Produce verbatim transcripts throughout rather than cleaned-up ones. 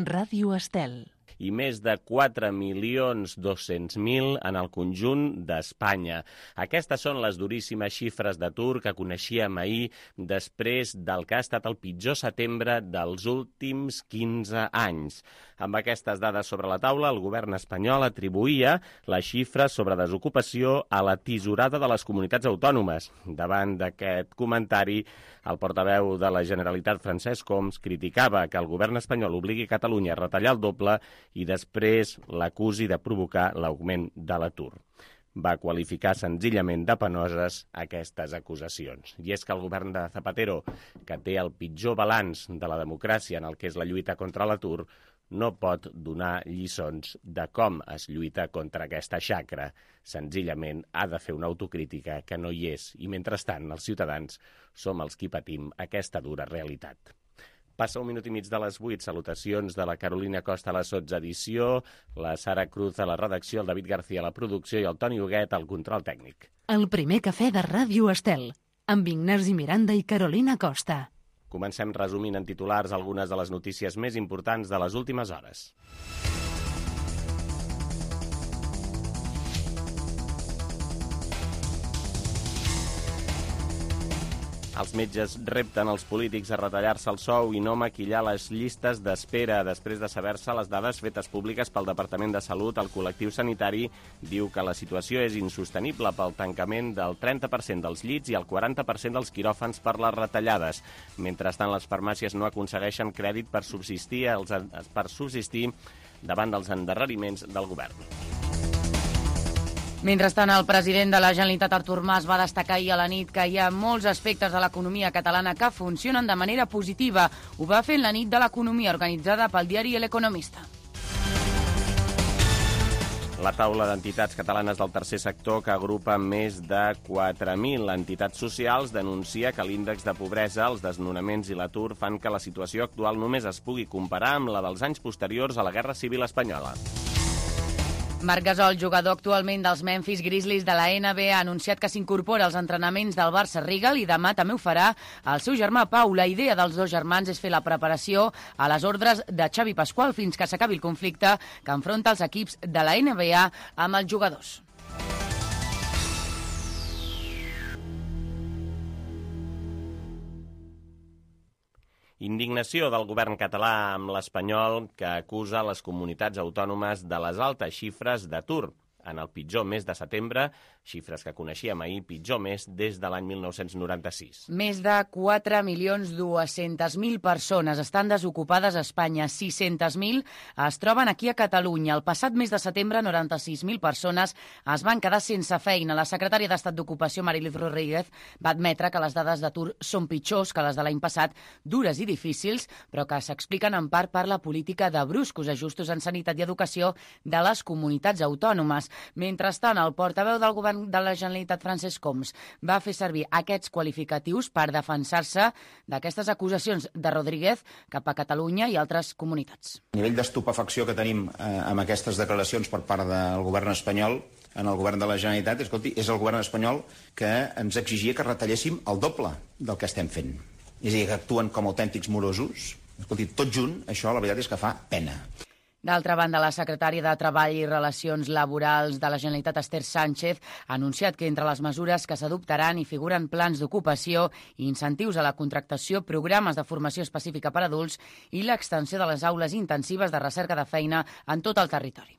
Ràdio Estel. I més de quatre milions dos-cents mil en el conjunt d'Espanya. Aquestes són les duríssimes xifres d'atur que coneixíem ahir després del que ha estat el pitjor setembre dels últims quinze anys. Amb aquestes dades sobre la taula, el govern espanyol atribuïa les xifres sobre desocupació a la tisorada de les comunitats autònomes. Davant d'aquest comentari, el portaveu de la Generalitat, Francesc Homs, criticava que el govern espanyol obligui Catalunya a retallar el doble i després l'acusi de provocar l'augment de l'atur. Va qualificar senzillament de penoses aquestes acusacions. I és que el govern de Zapatero, que té el pitjor balanç de la democràcia en el que és la lluita contra l'atur, no pot donar lliçons de com es lluita contra aquesta xacra. Senzillament ha de fer una autocrítica que no hi és i, mentrestant, els ciutadans som els qui patim aquesta dura realitat. Passa un minut i mig de les vuit. Salutacions de la Carolina Costa a la sotsedició, la Sara Cruz a la redacció, el David García a la producció i el Toni Huguet al control tècnic. El primer cafè de Ràdio Estel, amb Ignasi Miranda i Carolina Costa. Comencem resumint en titulars algunes de les notícies més importants de les últimes hores. Els metges repten els polítics a retallar-se el sou i no maquillar les llistes d'espera. Després de saber-se les dades fetes públiques pel Departament de Salut, el col·lectiu sanitari diu que la situació és insostenible pel tancament del trenta per cent dels llits i el quaranta per cent dels quiròfans per les retallades. Mentrestant, les farmàcies no aconsegueixen crèdit per subsistir, els, per subsistir davant dels endarreriments del govern. Mentrestant, el president de la Generalitat, Artur Mas, va destacar ahir a la nit que hi ha molts aspectes de l'economia catalana que funcionen de manera positiva. Ho va fer en la nit de l'economia organitzada pel diari El Economista. La taula d'entitats catalanes del tercer sector, que agrupa més de quatre mil entitats socials, denuncia que l'índex de pobresa, els desnonaments i l'atur fan que la situació actual només es pugui comparar amb la dels anys posteriors a la Guerra Civil Espanyola. Marc Gasol, jugador actualment dels Memphis Grizzlies de la N B A, ha anunciat que s'incorpora als entrenaments del Barça Regal i demà també ho farà el seu germà Pau. La idea dels dos germans és fer la preparació a les ordres de Xavi Pasqual fins que s'acabi el conflicte que enfronta els equips de la N B A amb els jugadors. Indignació del govern català amb l'espanyol, que acusa les comunitats autònomes de les altes xifres d'atur. En el pitjor mes de setembre, xifres que coneixíem ahir, pitjor mes des de l'any mil nou-cents noranta-sis. Més de quatre milions dos-cents mil persones estan desocupades a Espanya. sis-centes mil es troben aquí a Catalunya. El passat mes de setembre, noranta-sis mil persones es van quedar sense feina. La secretària d'Estat d'Ocupació, Mariluz Rodríguez, va admetre que les dades d'atur són pitjors que les de l'any passat, dures i difícils, però que s'expliquen en part per la política de bruscos ajustos en sanitat i educació de les comunitats autònomes. Mentrestant, el portaveu del govern de la Generalitat, Francesc Homs, va fer servir aquests qualificatius per defensar-se d'aquestes acusacions de Rodríguez cap a Catalunya i altres comunitats. El nivell d'estupefacció que tenim eh, amb aquestes declaracions per part del govern espanyol en el govern de la Generalitat, escolti, és el govern espanyol que ens exigia que retalléssim el doble del que estem fent. És a dir, que actuen com autèntics morosos. Escolti, tot junt, això la veritat és que fa pena. D'altra banda, la secretària de Treball i Relacions Laborals de la Generalitat, Esther Sánchez, ha anunciat que entre les mesures que s'adoptaran hi figuren plans d'ocupació i incentius a la contractació, programes de formació específica per a adults i l'extensió de les aules intensives de recerca de feina en tot el territori.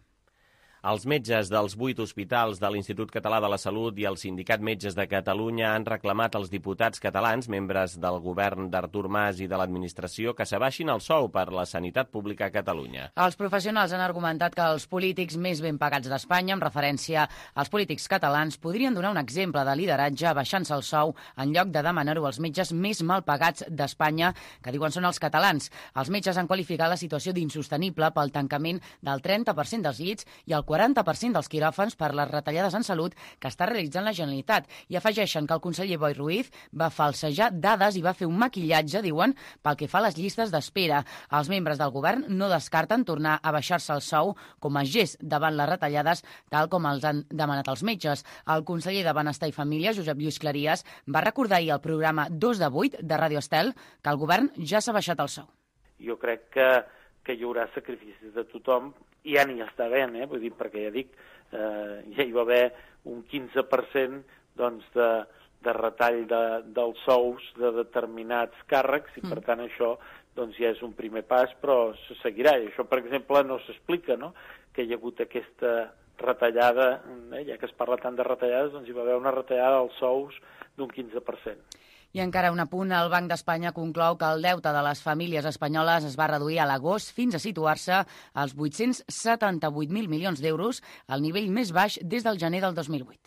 Els metges dels vuit hospitals de l'Institut Català de la Salut i el Sindicat Metges de Catalunya han reclamat als diputats catalans, membres del govern d'Artur Mas i de l'administració, que s'abaixin el sou per la sanitat pública a Catalunya. Els professionals han argumentat que els polítics més ben pagats d'Espanya, en referència als polítics catalans, podrien donar un exemple de lideratge abaixant-se el sou en lloc de demanar-ho als metges més mal pagats d'Espanya, que diuen són els catalans. Els metges han qualificat la situació d'insostenible pel tancament del trenta per cent dels llits i el quaranta per cent dels quiròfans per les retallades en salut que està realitzant la Generalitat. I afegeixen que el conseller Boi Ruiz va falsejar dades i va fer un maquillatge, diuen, pel que fa a les llistes d'espera. Els membres del govern no descarten tornar a baixar-se el sou com a gest davant les retallades, tal com els han demanat els metges. El conseller de Benestar i Família, Josep Lluís Clarias, va recordar ahir al programa dos de vuit de Ràdio Estel que el govern ja s'ha baixat el sou. Jo crec que que hi haurà sacrificis de tothom, i ja n'hi està havent, eh? Vull dir, perquè ja dic, eh, ja hi va haver un quinze per cent doncs, de, de retall de, dels sous de determinats càrrecs, i per tant això doncs, ja és un primer pas, però se seguirà. I això, per exemple, no s'explica, no?, que hi ha hagut aquesta retallada, eh? Ja que es parla tant de retallades, doncs hi va haver una retallada dels sous d'un quinze per cent. I encara un apunt, el Banc d'Espanya conclou que el deute de les famílies espanyoles es va reduir a l'agost fins a situar-se als vuit-cents setanta-vuit mil milions d'euros, el nivell més baix des del gener del dos mil vuit.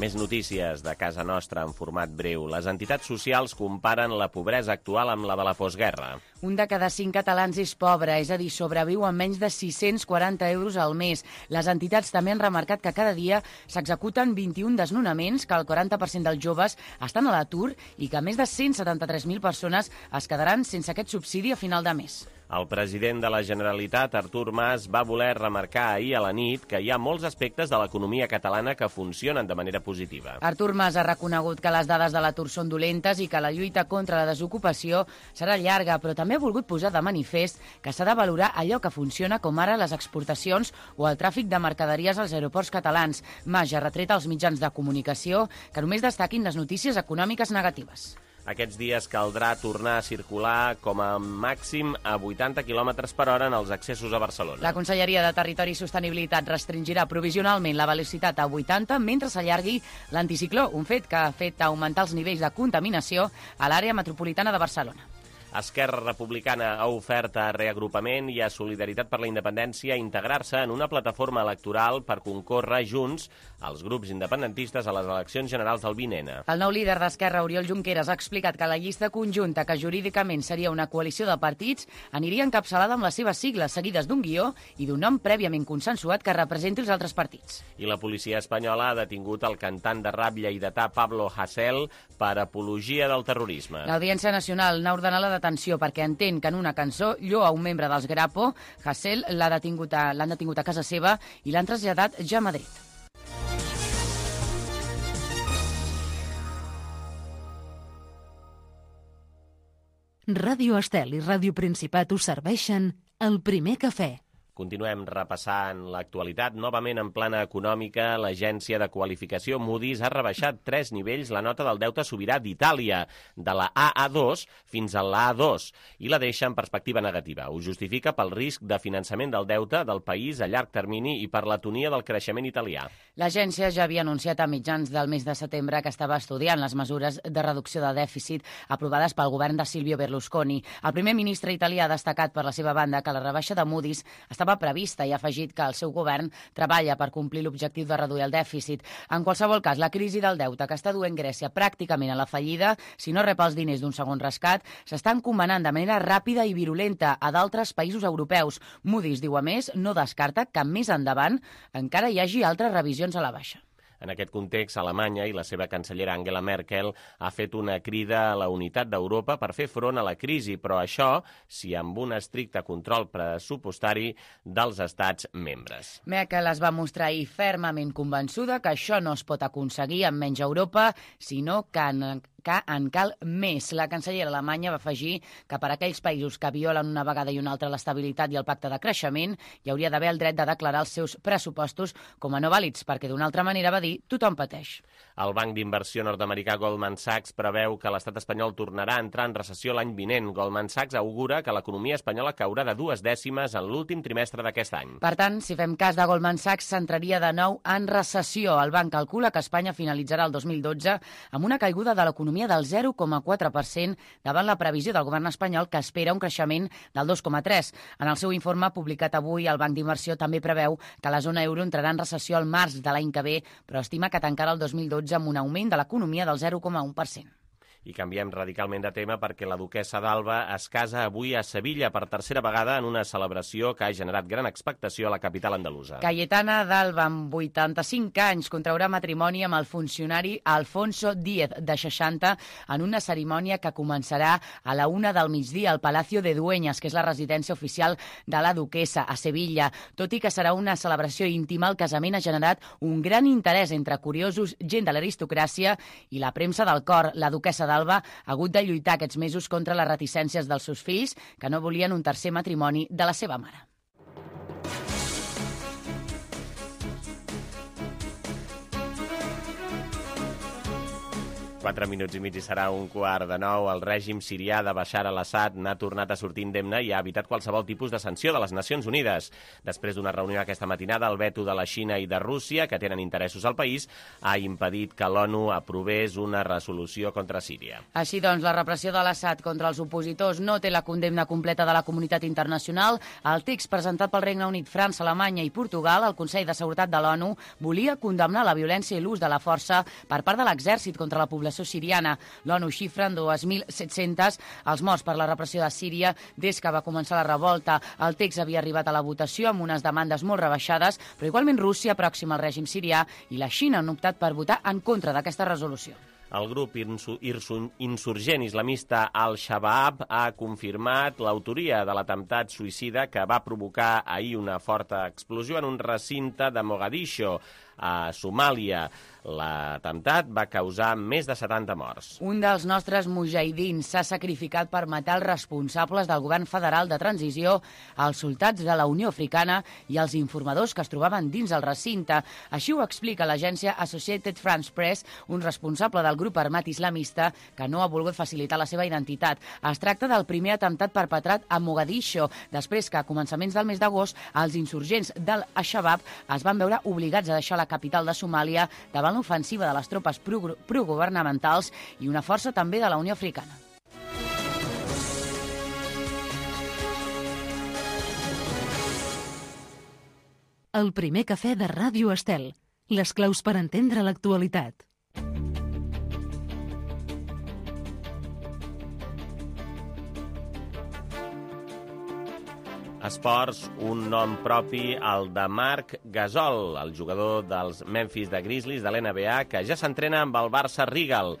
Més notícies de casa nostra en format breu. Les entitats socials comparen la pobresa actual amb la de la postguerra. Un de cada cinc catalans és pobre, és a dir, sobreviu amb menys de sis-cents quaranta euros al mes. Les entitats també han remarcat que cada dia s'executen vint-i-un desnonaments, que el quaranta per cent dels joves estan a l'atur i que més de cent setanta-tres mil persones es quedaran sense aquest subsidi a final de mes. El president de la Generalitat, Artur Mas, va voler remarcar ahir a la nit que hi ha molts aspectes de l'economia catalana que funcionen de manera positiva. Artur Mas ha reconegut que les dades de l'atur són dolentes i que la lluita contra la desocupació serà llarga, però també ha volgut posar de manifest que s'ha de valorar allò que funciona, com ara les exportacions o el tràfic de mercaderies als aeroports catalans. Mas ha retret als mitjans de comunicació que només destaquin les notícies econòmiques negatives. Aquests dies caldrà tornar a circular com a màxim a vuitanta quilòmetres per hora en els accessos a Barcelona. La Conselleria de Territori i Sostenibilitat restringirà provisionalment la velocitat a vuitanta mentre s'allargui l'anticicló, un fet que ha fet augmentar els nivells de contaminació a l'àrea metropolitana de Barcelona. Esquerra Republicana ha ofert a Reagrupament i a Solidaritat per la Independència integrar-se en una plataforma electoral per concórrer junts als grups independentistes a les eleccions generals del vint ene. El nou líder d'Esquerra, Oriol Junqueras, ha explicat que la llista conjunta, que jurídicament seria una coalició de partits, aniria encapçalada amb les seves sigles, seguides d'un guió i d'un nom prèviament consensuat que representi els altres partits. I la policia espanyola ha detingut el cantant de rap lleidatà Pablo Hasél per apologia del terrorisme. L'Audiència Nacional n'ha ordenat la detenció perquè entén que en una cançó lloa un membre dels Grapo. Hasél l'ha detingut a, l'han detingut a casa seva i l'han traslladat ja a Madrid. Ràdio Estel i Ràdio Principat us serveixen el primer cafè. Continuem repassant l'actualitat. Novament en plana econòmica, l'agència de qualificació Moody's ha rebaixat tres nivells la nota del deute sobirà d'Itàlia, de la A A dos fins a la A dos, i la deixa en perspectiva negativa. Ho justifica pel risc de finançament del deute del país a llarg termini i per l'atonia del creixement italià. L'agència ja havia anunciat a mitjans del mes de setembre que estava estudiant les mesures de reducció de dèficit aprovades pel govern de Silvio Berlusconi. El primer ministre italià ha destacat per la seva banda que la rebaixa de Moody's estava prevista i ha afegit que el seu govern treballa per complir l'objectiu de reduir el dèficit. En qualsevol cas, la crisi del deute que està duent Grècia pràcticament a la fallida, si no rep els diners d'un segon rescat, s'està encomanant de manera ràpida i virulenta a d'altres països europeus. Moody's, diu a més, no descarta que més endavant encara hi hagi altres revisions a la baixa. En aquest context, Alemanya i la seva cancellera Angela Merkel ha fet una crida a la unitat d'Europa per fer front a la crisi, però això sí amb un estricte control pressupostari dels estats membres. Merkel es va mostrar ahir fermament convençuda que això no es pot aconseguir amb menys Europa, sinó que en que en cal més. La cancellera alemanya va afegir que per a aquells països que violen una vegada i una altra l'estabilitat i el pacte de creixement hi hauria d'haver el dret de declarar els seus pressupostos com a no vàlids, perquè d'una altra manera, va dir, tothom pateix. El banc d'inversió nord-americà Goldman Sachs preveu que l'estat espanyol tornarà a entrar en recessió l'any vinent. Goldman Sachs augura que l'economia espanyola caurà de dues dècimes en l'últim trimestre d'aquest any. Per tant, si fem cas de Goldman Sachs, s'entraria de nou en recessió. El banc calcula que Espanya finalitzarà el dos mil dotze amb una caiguda de l'economia del zero coma quatre per cent davant la previsió del govern espanyol, que espera un creixement del dos coma tres. En el seu informe publicat avui, el Banc d'Inversió també preveu que la zona euro entrarà en recessió al març de l'any que ve, però estima que tancarà el dos mil dotze amb un augment de l'economia del zero coma un per cent. I canviem radicalment de tema perquè la duquessa d'Alba es casa avui a Sevilla per tercera vegada en una celebració que ha generat gran expectació a la capital andalusa. Cayetana d'Alba, amb vuitanta-cinc anys, contraurà matrimoni amb el funcionari Alfonso Díez, de seixanta, en una cerimònia que començarà a la una del migdia al Palacio de Dueñas, que és la residència oficial de la duquessa, a Sevilla. Tot i que serà una celebració íntima, el casament ha generat un gran interès entre curiosos, gent de l'aristocràcia i la premsa del cor. La duquessa d'Alba ha hagut de lluitar aquests mesos contra les reticències dels seus fills, que no volien un tercer matrimoni de la seva mare. Quatre minuts i mig i serà un quart de nou. El règim sirià de Bashar al-Assad n'ha tornat a sortir indemne i ha evitat qualsevol tipus de sanció de les Nacions Unides. Després d'una reunió aquesta matinada, el veto de la Xina i de Rússia, que tenen interessos al país, ha impedit que l'ONU aprovés una resolució contra Síria. Així doncs, la repressió de l'Assad contra els opositors no té la condemna completa de la comunitat internacional. El text presentat pel Regne Unit, França, Alemanya i Portugal al Consell de Seguretat de l'ONU volia condemnar la violència i l'ús de la força per part de l'exèrcit contra la població siriana. L'ONU xifra en dos mil set-cents els morts per la repressió de Síria des que va començar la revolta. El text havia arribat a la votació amb unes demandes molt rebaixades, però igualment Rússia, pròxima al règim sirià, i la Xina han optat per votar en contra d'aquesta resolució. El grup insurgent islamista Al-Shabaab ha confirmat l'autoria de l'atemptat suïcida que va provocar ahir una forta explosió en un recinte de Mogadiscio, a Somàlia. L'atemptat va causar més de setanta morts. Un dels nostres mujahidins s'ha sacrificat per matar els responsables del govern federal de transició, els soldats de la Unió Africana i els informadors que es trobaven dins el recinte. Així ho explica l'agència Associated France Press, un responsable del grup armat islamista que no ha volgut facilitar la seva identitat. Es tracta del primer atemptat perpetrat a Mogadiscio, després que a començaments del mes d'agost els insurgents del Al-Shabaab es van veure obligats a deixar la capital de Somàlia davant l'ofensiva de les tropes progovernamentals i una força també de la Unió Africana. El primer cafè de Ràdio Estel. Les claus per entendre l'actualitat. Esports, un nom propi, el de Marc Gasol, el jugador dels Memphis de Grizzlies de l'N B A, que ja s'entrena amb el Barça Rigal.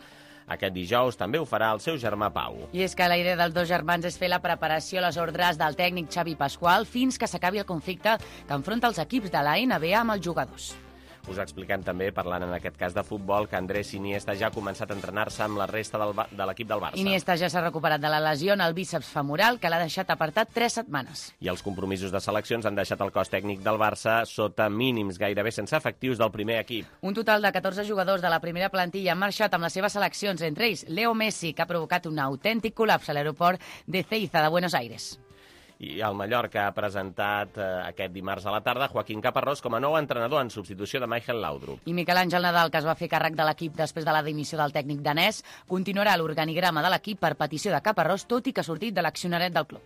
Aquest dijous també ho farà el seu germà Pau. I és que la idea dels dos germans és fer la preparació a les ordres del tècnic Xavi Pasqual fins que s'acabi el conflicte que enfronta els equips de la N B A amb els jugadors. Us expliquem també, parlant en aquest cas de futbol, que Andrés Iniesta ja ha començat a entrenar-se amb la resta del de l'equip del Barça. Iniesta ja s'ha recuperat de la lesió en el bíceps femoral, que l'ha deixat apartat tres setmanes. I els compromisos de seleccions han deixat el cos tècnic del Barça sota mínims, gairebé sense efectius del primer equip. Un total de catorze jugadors de la primera plantilla han marxat amb les seves seleccions, entre ells Leo Messi, que ha provocat un autèntic col·lapse a l'aeroport de Ezeiza de Buenos Aires. I el Mallorca ha presentat eh, aquest dimarts a la tarda Joaquín Caparrós com a nou entrenador en substitució de Michael Laudrup. I Miquel Àngel Nadal, que es va fer càrrec de l'equip després de la dimissió del tècnic danès, continuarà l'organigrama de l'equip per petició de Caparrós, tot i que ha sortit de l'accionariat del club.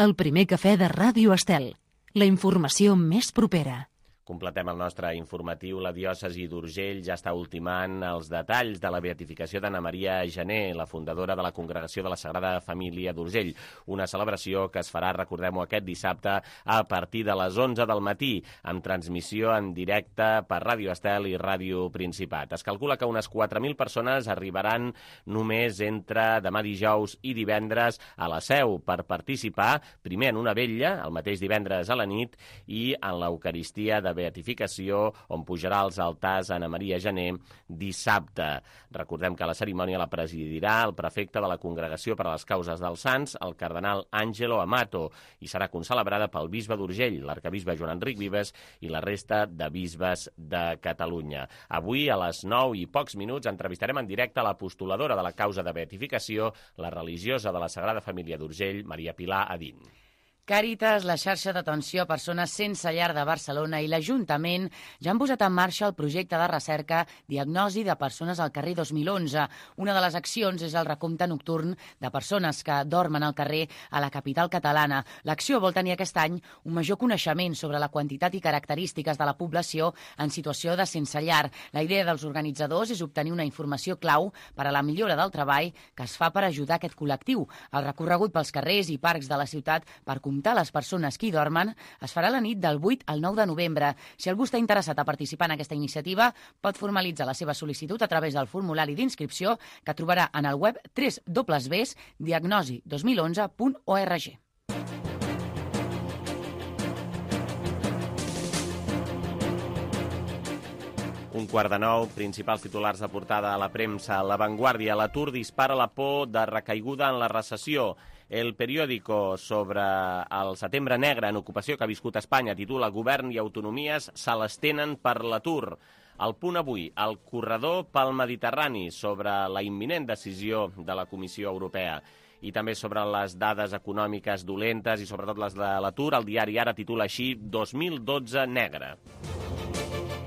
El primer cafè de Ràdio Estel. La informació més propera. Completem el nostre informatiu. La diòcesi d'Urgell ja està ultimant els detalls de la beatificació d'Anna Maria Gené, la fundadora de la Congregació de la Sagrada Família d'Urgell. Una celebració que es farà, recordem-ho, aquest dissabte a partir de les onze del matí, amb transmissió en directe per Ràdio Estel i Ràdio Principat. Es calcula que unes quatre mil persones arribaran només entre demà dijous i divendres a la Seu per participar, primer en una vetlla, el mateix divendres a la nit, i en l'Eucaristia de beatificació, on pujarà als altars Anna Maria Gené dissabte. Recordem que la cerimònia la presidirà el prefecte de la Congregació per a les Causes dels Sants, el cardenal Àngelo Amato, i serà concelebrada pel bisbe d'Urgell, l'arcabisbe Joan Enric Vives i la resta de bisbes de Catalunya. Avui, a les nou i pocs minuts, entrevistarem en directe la postuladora de la causa de beatificació, la religiosa de la Sagrada Família d'Urgell, Maria Pilar Adín. Càritas, la xarxa d'atenció a persones sense llar de Barcelona i l'Ajuntament ja han posat en marxa el projecte de recerca Diagnosi de persones al carrer dos mil onze. Una de les accions és el recompte nocturn de persones que dormen al carrer a la capital catalana. L'acció vol tenir aquest any un major coneixement sobre la quantitat i característiques de la població en situació de sense llar. La idea dels organitzadors és obtenir una informació clau per a la millora del treball que es fa per ajudar aquest col·lectiu. El recorregut pels carrers i parcs de la ciutat per comptar les persones que hi dormen es farà la nit del vuit al nou de novembre. Si algú està interessat a participar en aquesta iniciativa, pot formalitzar la seva sol·licitud a través del formulari d'inscripció que trobarà en el web w w w punt diagnosi dos mil onze punt org. Un quart de nou, principals titulars de portada a la premsa. La Vanguardia, l'atur dispara la por de recaiguda en la recessió. El periòdico sobre el setembre negre en ocupació que ha viscut Espanya titula Govern i autonomies se l'estenen per l'atur. El Punt Avui, el corredor pel Mediterrani sobre la imminent decisió de la Comissió Europea. I també sobre les dades econòmiques dolentes i sobretot les de l'atur, el diari Ara titula així dos mil dotze negre.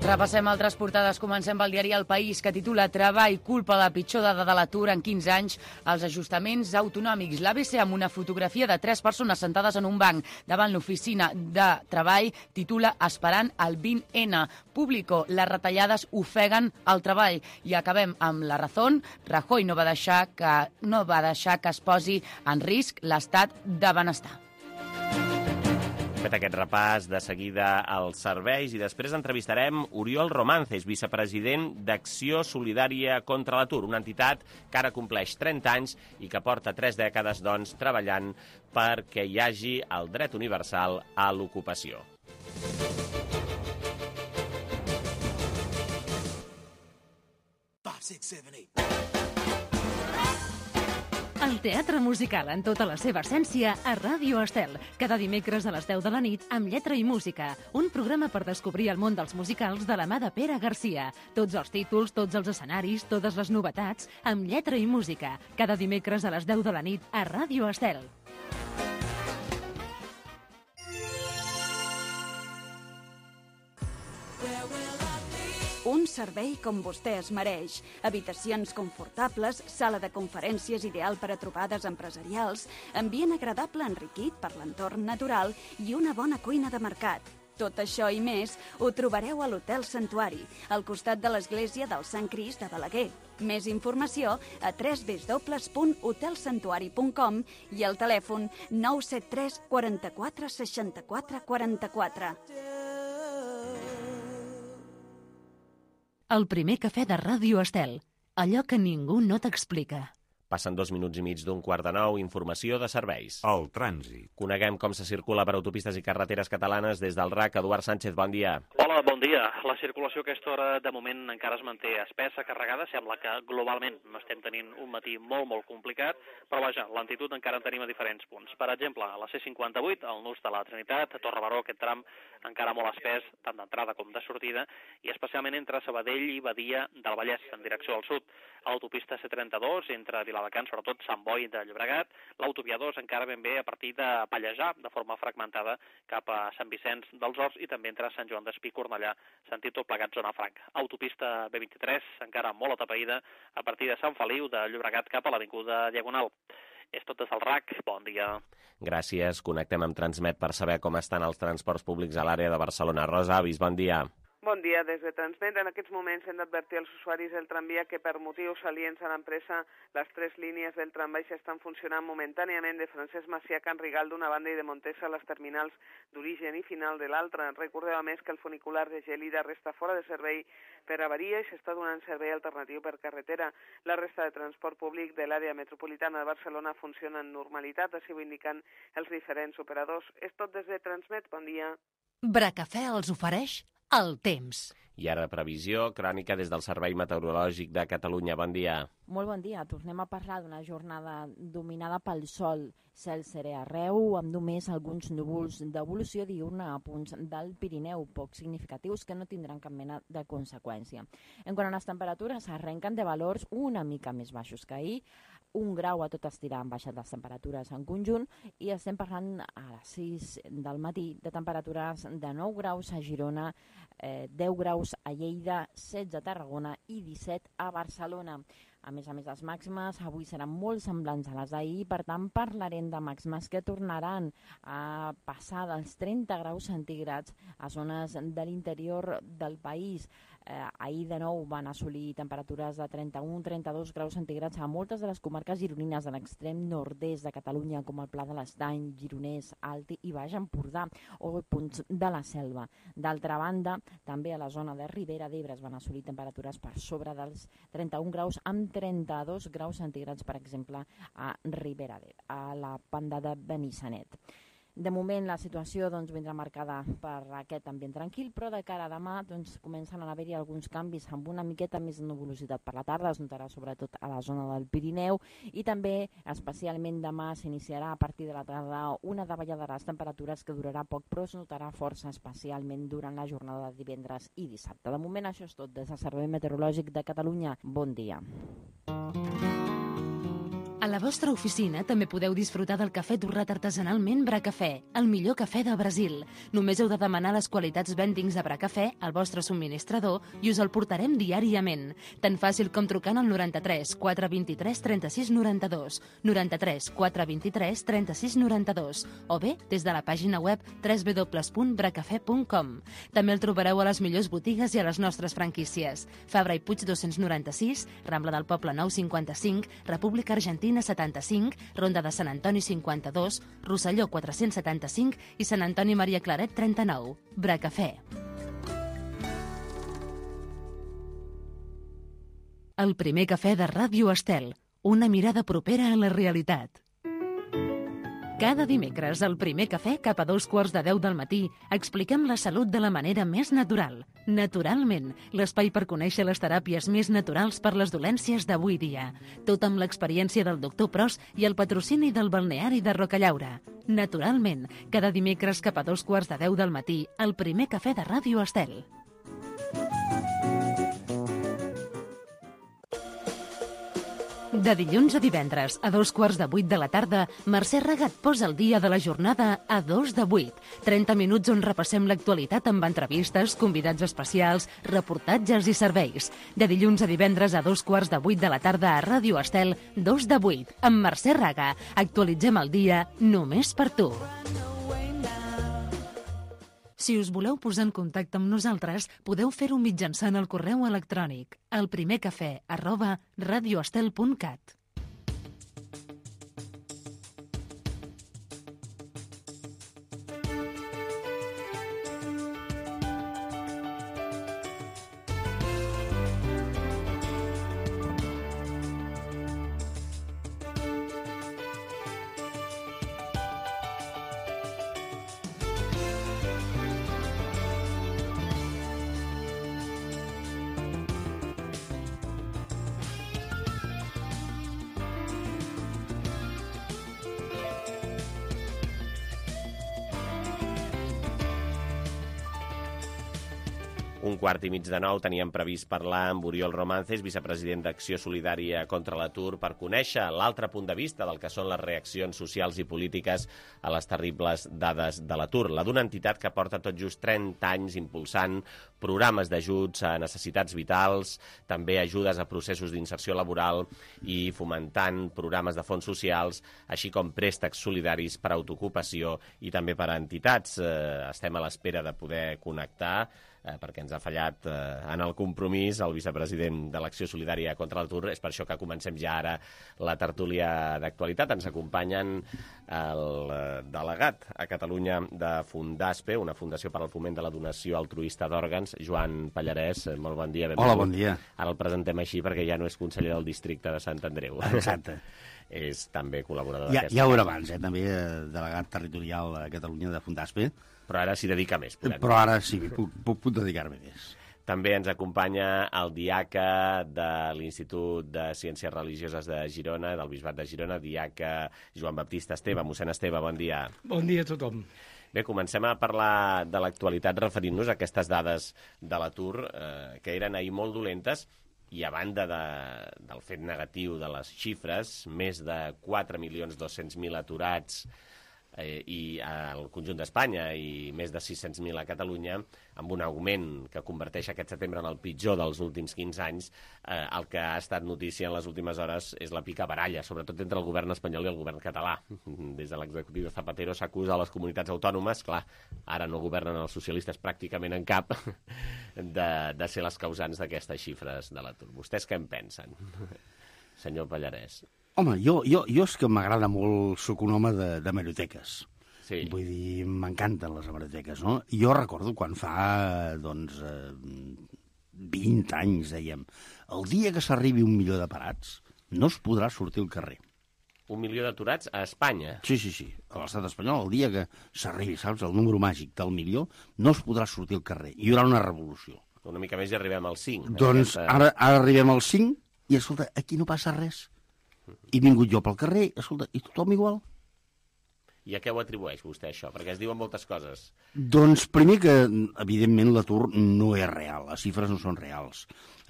Repassem altres portades. Comencem pel diari El País, que titula Treball culpa la pitjor dada de l'atur en quinze anys als ajustaments autonòmics. L'A B C, amb una fotografia de tres persones sentades en un banc davant l'oficina de treball, titula Esperant el vint ene. Público, les retallades ofeguen el treball. I acabem amb La Razón. Rajoy no va deixar que, no va deixar que es posi en risc l'estat de benestar. Fet aquest repàs, de seguida als serveis i després entrevistarem Oriol Romances, vicepresident d'Acció Solidària contra l'Atur, una entitat que ara compleix trenta anys i que porta tres dècades doncs, treballant perquè hi hagi el dret universal a l'ocupació. El teatre musical en tota la seva essència a Ràdio Estel. Cada dimecres a les deu de la nit amb lletra i música. Un programa per descobrir el món dels musicals de la mà de Pere Garcia. Tots els títols, tots els escenaris, totes les novetats, amb lletra i música. Cada dimecres a les deu de la nit a Ràdio Estel. Un servei com vostè es mereix. Habitacions confortables, sala de conferències ideal per a trobades empresarials, ambient agradable enriquit per l'entorn natural i una bona cuina de mercat. Tot això i més ho trobareu a l'Hotel Santuari, al costat de l'església del Sant Crist de Balaguer. Més informació a w w w punt hotel santuari punt com i al telèfon nou set tres quaranta-quatre seixanta-quatre quaranta-quatre. El primer cafè de Ràdio Estel. Allò que ningú no t'explica. Passen dos minuts i mig d'un quart de nou, informació de serveis. El trànsit. Coneguem com se circula per autopistes i carreteres catalanes des del R A C. Eduard Sánchez, bon dia. Hola, bon dia. La circulació a aquesta hora de moment encara es manté espessa, carregada. Sembla que globalment estem tenint un matí molt, molt complicat, però vaja, l'altitud encara en tenim a diferents punts. Per exemple, a la C cinquanta-vuit, al nus de la Trinitat, a Torre Baró, aquest tram encara molt espès, tant d'entrada com de sortida, i especialment entre Sabadell i Badia del Vallès, en direcció al sud. A l'autopista C trenta-dos, entre Viladecans, sobretot Sant Boi de Llobregat, l'autovia dos encara ben bé a partir de Pallejà, de forma fragmentada cap a Sant Vicenç dels Horts i també entre Sant Joan d'Espí i Cornellà, sentit tot plegat zona franca. Autopista B vint-i-tres, encara molt atapeïda, a partir de Sant Feliu de Llobregat cap a l'Avinguda Diagonal. És tot des del R A C. Bon dia. Gràcies. Connectem amb Transmet per saber com estan els transports públics a l'àrea de Barcelona. Rosa Avis, bon dia. Bon dia, des de Transmet. En aquests moments hem d'advertir als usuaris del tramvia que per motius aliens a l'empresa les tres línies del trambaix estan funcionant momentàniament de Francesc Macià a Can Rigal d'una banda i de Montesa a les terminals d'origen i final de l'altra. Recordeu a més que el funicular de Gelida resta fora de servei per avaria i s'està donant servei alternatiu per carretera. La resta de transport públic de l'àrea metropolitana de Barcelona funciona en normalitat, així ho indiquen els diferents operadors. És tot des de Transmet. Bon dia. Bracafè els ofereix el temps. I ara previsió, crònica des del Servei Meteorològic de Catalunya. Bon dia. Molt bon dia. Tornem a parlar d'una jornada dominada pel sol. Cel serè arreu, amb només alguns núvols d'evolució diurna a punts del Pirineu, poc significatius que no tindran cap mena de conseqüència. En quant a les temperatures, arrenquen de valors una mica més baixos que ahir. Un grau a tot estirar han baixat les temperatures en conjunt i estem parlant a les sis del matí de temperatures de nou graus a Girona, eh, deu graus a Lleida, setze a Tarragona i disset a Barcelona. A més a més, les màximes avui seran molt semblants a les d'ahir, per tant parlarem de màximes que tornaran a passar dels trenta graus centígrads a zones de l'interior del país. Eh, ahir de nou van assolir temperatures de trenta-un a trenta-dos graus centígrads a moltes de les comarques gironines de l'extrem nord-est de Catalunya, com el Pla de l'Estany, Gironès, Alt i Baix Empordà o punts de la Selva. D'altra banda, també a la zona de Ribera d'Ebre es van assolir temperatures per sobre dels trenta-un graus amb trenta-dos graus centígrads, per exemple, a Ribera d'Ebre, a la banda de Benissanet. De moment la situació doncs, vindrà marcada per aquest ambient tranquil, però de cara a demà doncs, comencen a haver-hi alguns canvis amb una miqueta més de nuvolositat per la tarda, es notarà sobretot a la zona del Pirineu i també especialment demà s'iniciarà a partir de la tarda una davallada de les temperatures que durarà poc però es notarà força especialment durant la jornada de divendres i dissabte. De moment això és tot des del Servei Meteorològic de Catalunya. Bon dia. A la vostra oficina també podeu disfrutar del cafè torrat artesanalment Bracafè, el millor cafè de Brasil. Només heu de demanar les qualitats vendings de Bracafè al vostre subministrador i us el portarem diàriament. Tan fàcil com trucant al noranta-tres quatre vint-i-tres trenta-sis noranta-dos, noranta-tres quatre vint-i-tres trenta-sis noranta-dos o bé des de la pàgina web w w w punt bracafè punt com. També el trobareu a les millors botigues i a les nostres franquícies. Fabra i Puig dos-cents noranta-sis, Rambla del Poble nou cinquanta-cinc, República Argentina setanta-cinc, Ronda de Sant Antoni cinquanta-dos, Rosselló quatre-cents setanta-cinc i Sant Antoni Maria Claret trenta-nou. Bracafè. El primer cafè de Ràdio Estel. Una mirada propera a la realitat. Cada dimecres, al primer cafè, cap a dos quarts de deu del matí, expliquem la salut de la manera més natural. Naturalment, l'espai per conèixer les teràpies més naturals per les dolències d'avui dia. Tot amb l'experiència del doctor Pros i el patrocini del balneari de Rocallaura. Naturalment, cada dimecres cap a dos quarts de deu del matí, al primer cafè de Ràdio Estel. De dilluns a divendres, a dos quarts de vuit de la tarda, Mercè Regat posa el dia de la jornada a dos de vuit. trenta minuts on repassem l'actualitat amb entrevistes, convidats especials, reportatges i serveis. De dilluns a divendres a dos quarts de vuit de la tarda a Ràdio Estel, dos de vuit, amb Mercè Raga. Actualitzem el dia només per tu. Si us voleu posar en contacte amb nosaltres, podeu fer-ho mitjançant el correu electrònic elprimercafè arroba radioestel punt cat. Un quart i mig de nou teníem previst parlar amb Oriol Romances, vicepresident d'Acció Solidària contra l'Atur, per conèixer l'altre punt de vista del que són les reaccions socials i polítiques a les terribles dades de l'atur. La d'una entitat que porta tot just trenta anys impulsant programes d'ajuts a necessitats vitals, també ajudes a processos d'inserció laboral i fomentant programes de fons socials, així com préstecs solidaris per a autoocupació i també per a entitats. Eh, estem a l'espera de poder connectar eh, perquè ens ha fallat eh, en el compromís el vicepresident de l'Acció Solidària contra l'Atur. És per això que comencem ja ara la tertúlia d'actualitat. Ens acompanyen el delegat a Catalunya de Fundaspe, una fundació per al foment de la donació altruista d'òrgans, Joan Pallarès. Molt bon dia. Hola, bon dia. Ara el presentem així perquè ja no és conseller del districte de Sant Andreu. Exacte. És també col·laborador ja, d'aquesta. Ja ho era abans, eh? També delegat territorial a Catalunya de Fundaspe. Però ara s'hi dedica més. Podem. Però ara sí, puc, puc, puc dedicar-me més. També ens acompanya el diaca de l'Institut de Ciències Religioses de Girona, del Bisbat de Girona, diaca Joan Baptista Esteve. Mossèn Esteve, bon dia. Bon dia a tothom. Bé, comencem a parlar de l'actualitat referint-nos a aquestes dades de l'atur, eh, que eren ahir molt dolentes, i a banda de, del fet negatiu de les xifres, més de quatre milions dos-cents mil aturats eh, i al conjunt d'Espanya i més de sis-cents mil a Catalunya, amb un augment que converteix aquest setembre en el pitjor dels últims quinze anys, eh, el que ha estat notícia en les últimes hores és la picabaralla, sobretot entre el govern espanyol i el govern català. Des de l'executiu de Zapatero s'acusa a les comunitats autònomes, clar, ara no governen els socialistes pràcticament en cap, de, de ser les causants d'aquestes xifres de l'atur. Vostès què en pensen, senyor Pallarès? Home, jo, jo, jo és que m'agrada molt, soc un home de, de hemeroteques. Sí. Vull dir, m'encanten les hemeroteques, no? Jo recordo quan fa, doncs, eh, vint anys, dèiem, el dia que s'arribi un milió de parats, no es podrà sortir al carrer. Un milió d'aturats a Espanya. Sí, sí, sí. A l'estat espanyol, el dia que s'arribi, saps, el número màgic del milió, no es podrà sortir al carrer. Hi haurà una revolució. Una mica més i arribem al cinc. Doncs aquesta... ara, ara arribem al cinc i, escolta, aquí no passa res. He vingut jo pel carrer, escolta, i tothom igual. I a què ho atribueix vostè, això? Perquè es diuen moltes coses. Doncs primer que, evidentment, l'atur no és real. Les xifres no són reals.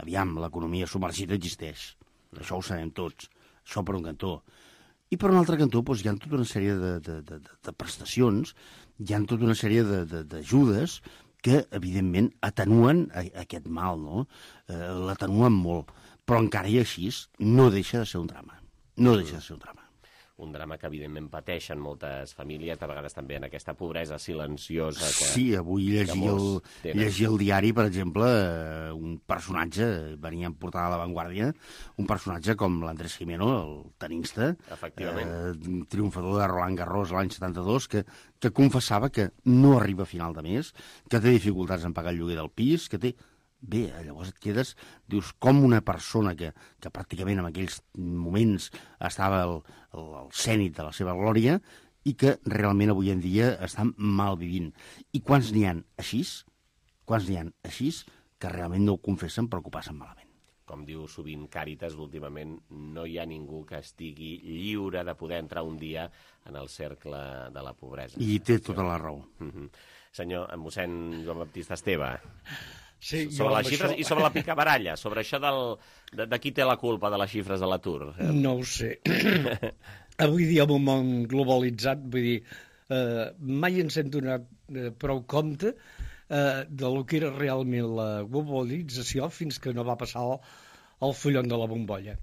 Aviam, l'economia submergida existeix. Això ho sabem tots. Això per un cantó. I per un altre cantó doncs, hi ha tota una sèrie de, de, de, de prestacions, hi ha tota una sèrie d'ajudes que, evidentment, atenuen aquest mal, no? Eh, l'atenuen molt. Però encara i així no deixa de ser un drama. No deixa de ser un drama. Un drama que, evidentment, pateixen moltes famílies, de vegades també en aquesta pobresa silenciosa. Que, sí, avui llegia el, llegia el diari, per exemple, un personatge, venia en portada a l'avantguàrdia, un personatge com l'Andrés Jimeno, el tenista, eh, triomfador de Roland Garros l'any setanta-dos, que, que confessava que no arriba a final de mes, que té dificultats en pagar el lloguer del pis, que té... Bé, llavors et quedes, dius, com una persona que, que pràcticament en aquells moments estava al, al cènit de la seva glòria i que realment avui en dia estan mal vivint. I quants n'hi ha així, quants n'hi ha així, que realment no ho confessen però que ho passen malament. Com diu sovint Càritas, últimament no hi ha ningú que estigui lliure de poder entrar un dia en el cercle de la pobresa. I té tota la raó. Mm-hmm. Senyor, mossèn Joan Baptista Esteve, sí, sobre les xifres això... i sobre la picabaralla, sobre això del, de, de qui té la culpa de les xifres de l'atur. No ho sé. Avui dia, en un món globalitzat, vull dir, eh, mai ens hem donat eh, prou compte eh, de lo que era realment la globalització fins que no va passar el, el fullon de la bombolla.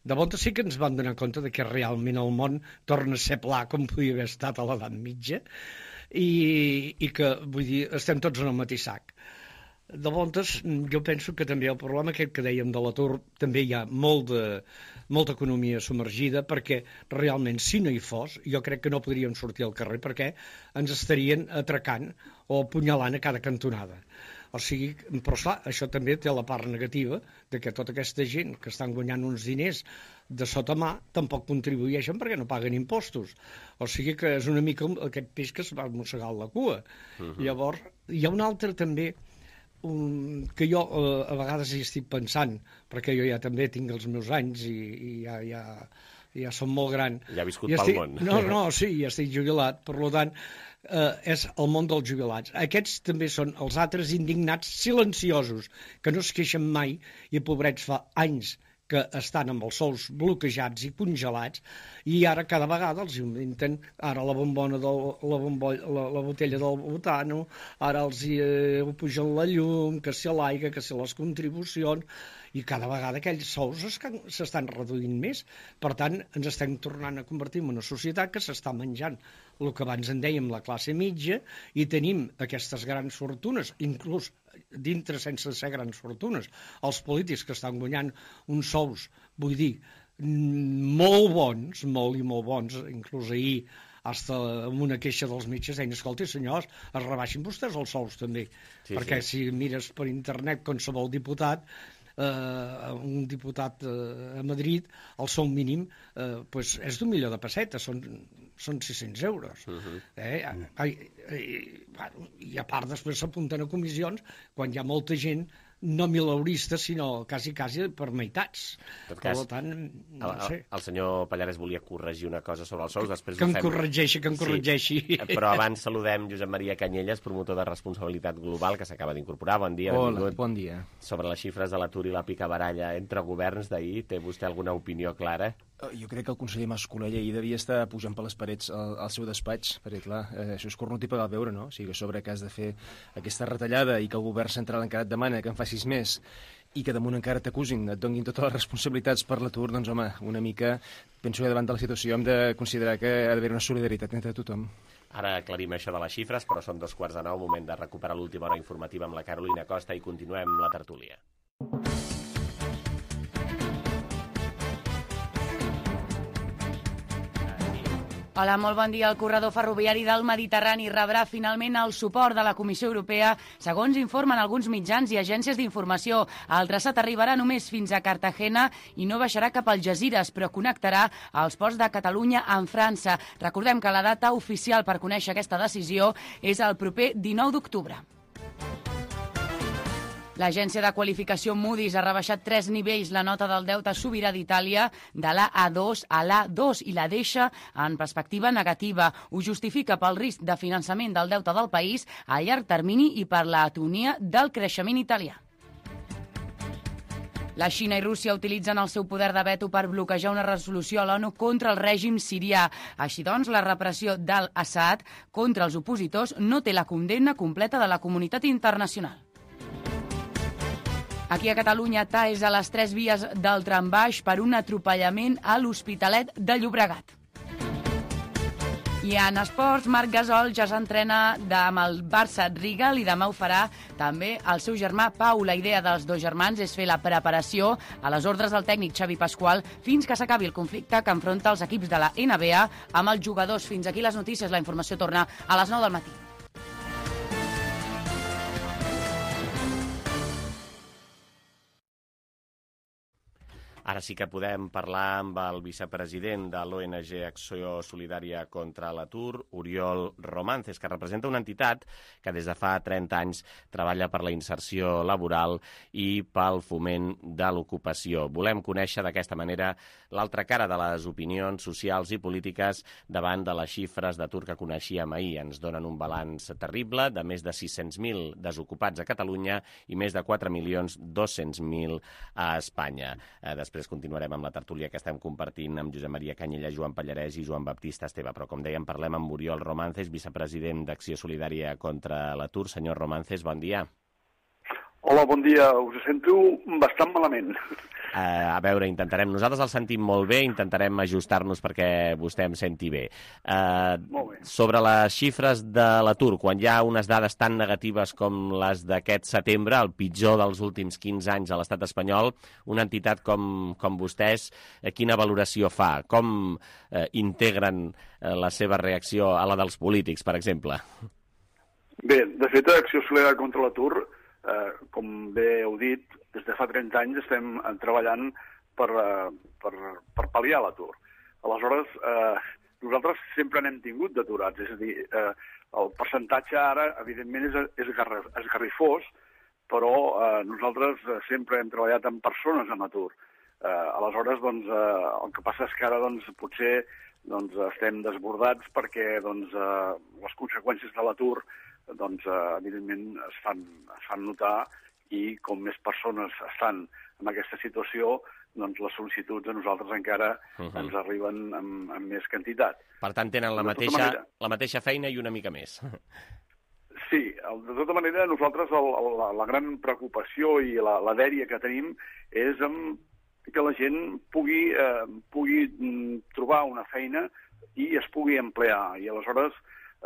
De volta sí que ens vam donar compte de que realment el món torna a ser pla com podia haver estat a l'edat mitja i, i que, vull dir, estem tots en el mateix sac. De voltes, jo penso que també el problema aquest que dèiem de l'atur, també hi ha molt de, molta economia submergida, perquè realment, si no hi fos, jo crec que no podríem sortir al carrer, perquè ens estarien atracant o apunyalant a cada cantonada. O sigui, però esclar, això també té la part negativa de que tota aquesta gent que estan guanyant uns diners de sota mà tampoc contribueixen perquè no paguen impostos. O sigui que és una mica aquest peix que es va mossegar la cua. Uh-huh. Llavors, hi ha un altre també Um, que jo uh, a vegades hi estic pensant, perquè jo ja també tinc els meus anys i, i ja, ja, ja som molt gran. Ja ha viscut I pel estic... món. No, no, sí, ja estic jubilat, per tant, uh, és el món dels jubilats. Aquests també són els altres indignats silenciosos, que no es queixen mai i pobrets fa anys que estan amb els sous bloquejats i congelats i ara cada vegada els inventen ara la bombona del, la, bombolla, la, la botella del butano, ara els eh, pugen la llum, que si l'aigua, que si les contribucions, i cada vegada aquells sous s'estan reduint més. Per tant, ens estem tornant a convertir en una societat que s'està menjant el que abans en dèiem la classe mitja i tenim aquestes grans fortunes, inclús dintre sense ser grans fortunes. Els polítics que estan guanyant uns sous, vull dir, molt bons, molt i molt bons, inclús ahir hasta amb una queixa dels metges deien, escolti senyors, es rebaixin vostès els sous també, sí, perquè sí. Si mires per internet qualsevol diputat, Uh, un diputat uh, a Madrid, el sou mínim uh, pues és d'un milió de pessetes, són, són sis-cents euros. Uh-huh. eh? I, i, I a part després s'apunten a comissions quan hi ha molta gent no milaurista, sinó quasi, quasi per meitats. En tot cas, per tant, no el, sé. el senyor Pallares volia corregir una cosa sobre els sous, després que ho em fem. corregeixi, que em corregeixi. Sí, però abans saludem Josep Maria Canyelles, promotor de responsabilitat global, que s'acaba d'incorporar. Bon dia, Hola, benvingut. Bon dia. Sobre les xifres de l'atur i la picabaralla entre governs d'ahir, té vostè alguna opinió clara? Jo crec que el conseller Mas-Colell ahir devia estar pujant per les parets al, al seu despatx, perquè, clar, eh, això és cornut i pagar el beure, no? O sigui, que sobre que has de fer aquesta retallada i que el govern central encara et demana que en facis més i que damunt encara t'acusin, et donin totes les responsabilitats per l'atur, doncs, home, una mica, penso que davant de la situació hem de considerar que ha d'haver una solidaritat entre tothom. Ara aclarim això de les xifres, però són dos quarts de nou, moment de recuperar l'última hora informativa amb la Carolina Costa i continuem la tertúlia. Hola, molt bon dia. El corredor ferroviari del Mediterrani rebrà finalment el suport de la Comissió Europea, segons informen alguns mitjans i agències d'informació. El traçat arribarà només fins a Cartagena i no baixarà cap al Algesires, però connectarà els ports de Catalunya amb França. Recordem que la data oficial per conèixer aquesta decisió és el proper dinou d'octubre. L'agència de qualificació Moody's ha rebaixat tres nivells la nota del deute sobirà d'Itàlia de l'A A dos a l'A dos i la deixa en perspectiva negativa. Ho justifica pel risc de finançament del deute del país a llarg termini i per l'atonia del creixement italià. La Xina i Rússia utilitzen el seu poder de veto per bloquejar una resolució a l'ONU contra el règim sirià. Així doncs, la repressió d'Al-Assad contra els opositors no té la condemna completa de la comunitat internacional. Aquí a Catalunya, T A és a les tres vies del trambaix per un atropellament a l'Hospitalet de Llobregat. I en esports, Marc Gasol ja s'entrena amb el Barça Rigal i demà ho farà també el seu germà Pau. La idea dels dos germans és fer la preparació a les ordres del tècnic Xavi Pasqual fins que s'acabi el conflicte que enfronta els equips de la N B A amb els jugadors. Fins aquí les notícies. La informació torna a les nou del matí. Ara sí que podem parlar amb el vicepresident de l'O N G Acció Solidària contra l'Atur, Oriol Romances, que representa una entitat que des de fa trenta anys treballa per la inserció laboral i pel foment de l'ocupació. Volem conèixer d'aquesta manera l'altra cara de les opinions socials i polítiques davant de les xifres d'atur que coneixíem ahir. Ens donen un balanç terrible de més de sis-cents mil desocupats a Catalunya i més de quatre milions dos-cents mil a Espanya. Després Després continuarem amb la tertúlia que estem compartint amb Josep Maria Canyella, Joan Pallarès i Joan Baptista Esteve. Però, com dèiem, parlem amb Oriol Romances, vicepresident d'Acció Solidària contra l'Atur. Senyor Romances, bon dia. Hola, bon dia. Us sento bastant malament. Uh, a veure, intentarem. Nosaltres el sentim molt bé, intentarem ajustar-nos perquè vostè em senti bé. Uh, molt bé. Sobre les xifres de l'atur, quan hi ha unes dades tan negatives com les d'aquest setembre, el pitjor dels últims quinze anys a l'estat espanyol, una entitat com, com vostès, eh, quina valoració fa? Com eh, integren eh, la seva reacció a la dels polítics, per exemple? Bé, de fet, Acció Solidària contra l'Atur, eh, com bé heu dit, des de fa trenta anys estem treballant per, per, per pal·liar l'atur. Aleshores, eh, nosaltres sempre n'hem tingut d'aturats, és a dir, eh, el percentatge ara, evidentment, és, és esgarrifós, però eh, nosaltres sempre hem treballat amb persones amb atur. Eh, aleshores, doncs, eh, el que passa és que ara doncs, potser doncs, estem desbordats perquè doncs, eh, les conseqüències de l'atur doncs, eh, evidentment, es fan, es fan notar i com més persones estan en aquesta situació, doncs les sol·licituds a nosaltres encara uh -huh. ens arriben amb, amb més quantitat. Per tant, tenen la mateixa, manera, la mateixa feina i una mica més. Sí, de tota manera, nosaltres el, el, la, la gran preocupació i la, la dèria que tenim és amb que la gent pugui, eh, pugui trobar una feina i es pugui emplear. I aleshores,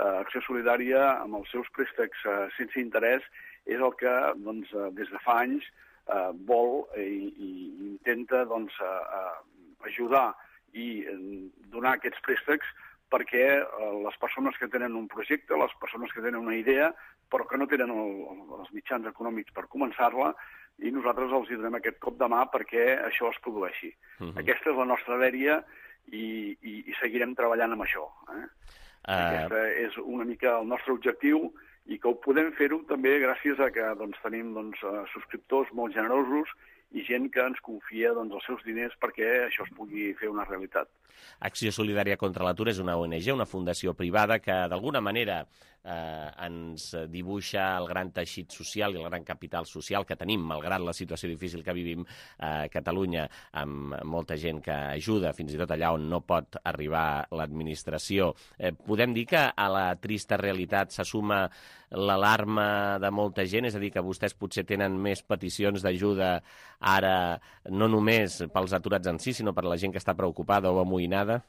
eh, Acció Solidària, amb els seus préstecs eh, sense interès, és el que doncs, des de fa anys eh, vol i, i intenta doncs, eh, ajudar i donar aquests préstecs perquè eh, les persones que tenen un projecte, les persones que tenen una idea, però que no tenen el, els mitjans econòmics per començar-la, i nosaltres els donem aquest cop de mà perquè això es produeixi. Uh -huh. Aquesta és la nostra dèria i, i, i seguirem treballant amb això. Eh? Uh... Aquesta és una mica el nostre objectiu, i que ho podem fer-ho també gràcies a que doncs, tenim doncs, subscriptors molt generosos i gent que ens confia doncs, els seus diners perquè això es pugui fer una realitat. Acció Solidària contra l'Atur és una O N G, una fundació privada que d'alguna manera eh, ens dibuixa el gran teixit social i el gran capital social que tenim, malgrat la situació difícil que vivim a Catalunya, amb molta gent que ajuda, fins i tot allà on no pot arribar l'administració. Eh, podem dir que a la trista realitat se suma l'alarma de molta gent, és a dir, que vostès potser tenen més peticions d'ajuda ara, no només pels aturats en si, sinó per la gent que està preocupada o amoïnada?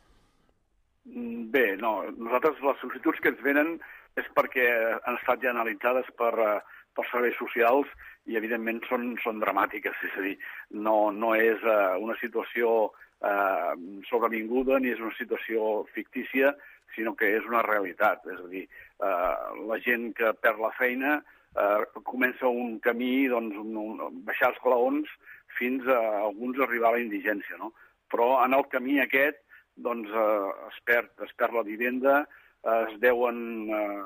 Bé, no. Nosaltres les sol·licituds que ens venen és perquè han estat ja analitzades per, per serveis socials i, evidentment, són, són dramàtiques. És a dir, no, no és uh, una situació eh, sobrevinguda ni és una situació fictícia, sinó que és una realitat. És a dir, eh, la gent que perd la feina eh, comença un camí, doncs, un, un, baixar els claons fins a alguns arribar a la indigència, no? Però en el camí aquest doncs, eh, es, perd, es perd la vivenda, eh, es deuen eh,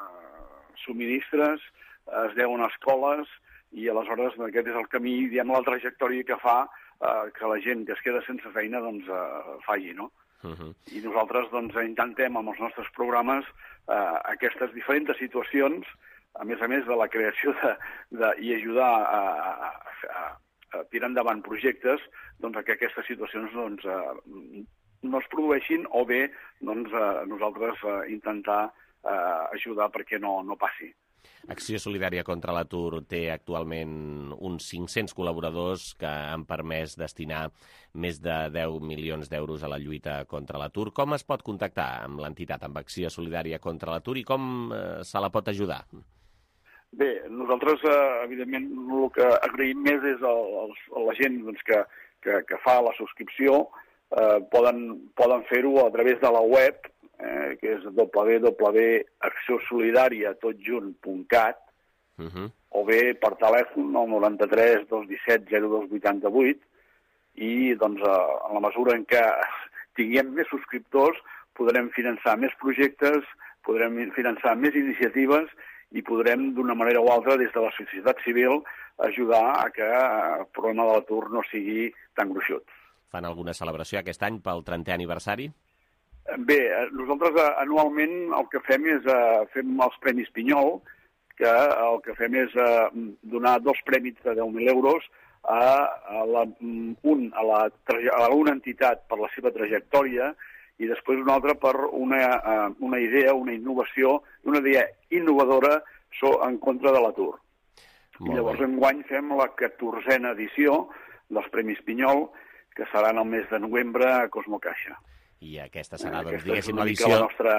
subministres, eh, es deuen escoles, i aleshores aquest és el camí, diguem, la trajectòria que fa eh, que la gent que es queda sense feina doncs, eh, faci, no? Uh-huh. I nosaltres doncs, intentem amb els nostres programes eh, aquestes diferents situacions, a més a més de la creació de, de, i ajudar a, a, a, a tirar endavant projectes, doncs, que aquestes situacions doncs, eh, no es produeixin, o bé doncs, eh, nosaltres eh, intentar eh, ajudar perquè no, no passi. Acció Solidària contra l'Atur té actualment uns cinc-cents col·laboradors que han permès destinar més de deu milions d'euros a la lluita contra l'atur. Com es pot contactar amb l'entitat, amb Acció Solidària contra l'Atur, i com eh, se la pot ajudar? Bé, nosaltres, eh, evidentment, el que agraïm més és a, a la gent doncs, que, que, que fa la subscripció. Eh, poden poden fer-ho a través de la web, eh, que és w w w punt acció solidària tot junt punt cat, uh-huh. o bé per telèfon al noranta-tres dos disset zero dos vuitanta vuit, i doncs, en la mesura en què tinguem més subscriptors podrem finançar més projectes, podrem finançar més iniciatives i podrem, d'una manera o altra, des de la societat civil, ajudar a que el problema de l'atur no sigui tan gruixut. Fan alguna celebració aquest any pel trentè aniversari? Bé, nosaltres anualment el que fem és uh, fem els Premis Pinyol, que el que fem és uh, donar dos premis de deu mil euros a, a, la, un, a, la, a una entitat per la seva trajectòria i després un altre per una, uh, una idea, una innovació, una idea innovadora so, en contra de l'atur. I llavors enguany fem la catorzena edició dels Premis Pinyol, que seran el mes de novembre a Cosmo Caixa. I aquesta serà, doncs, aquesta diguéssim, l'edició... La, nostra...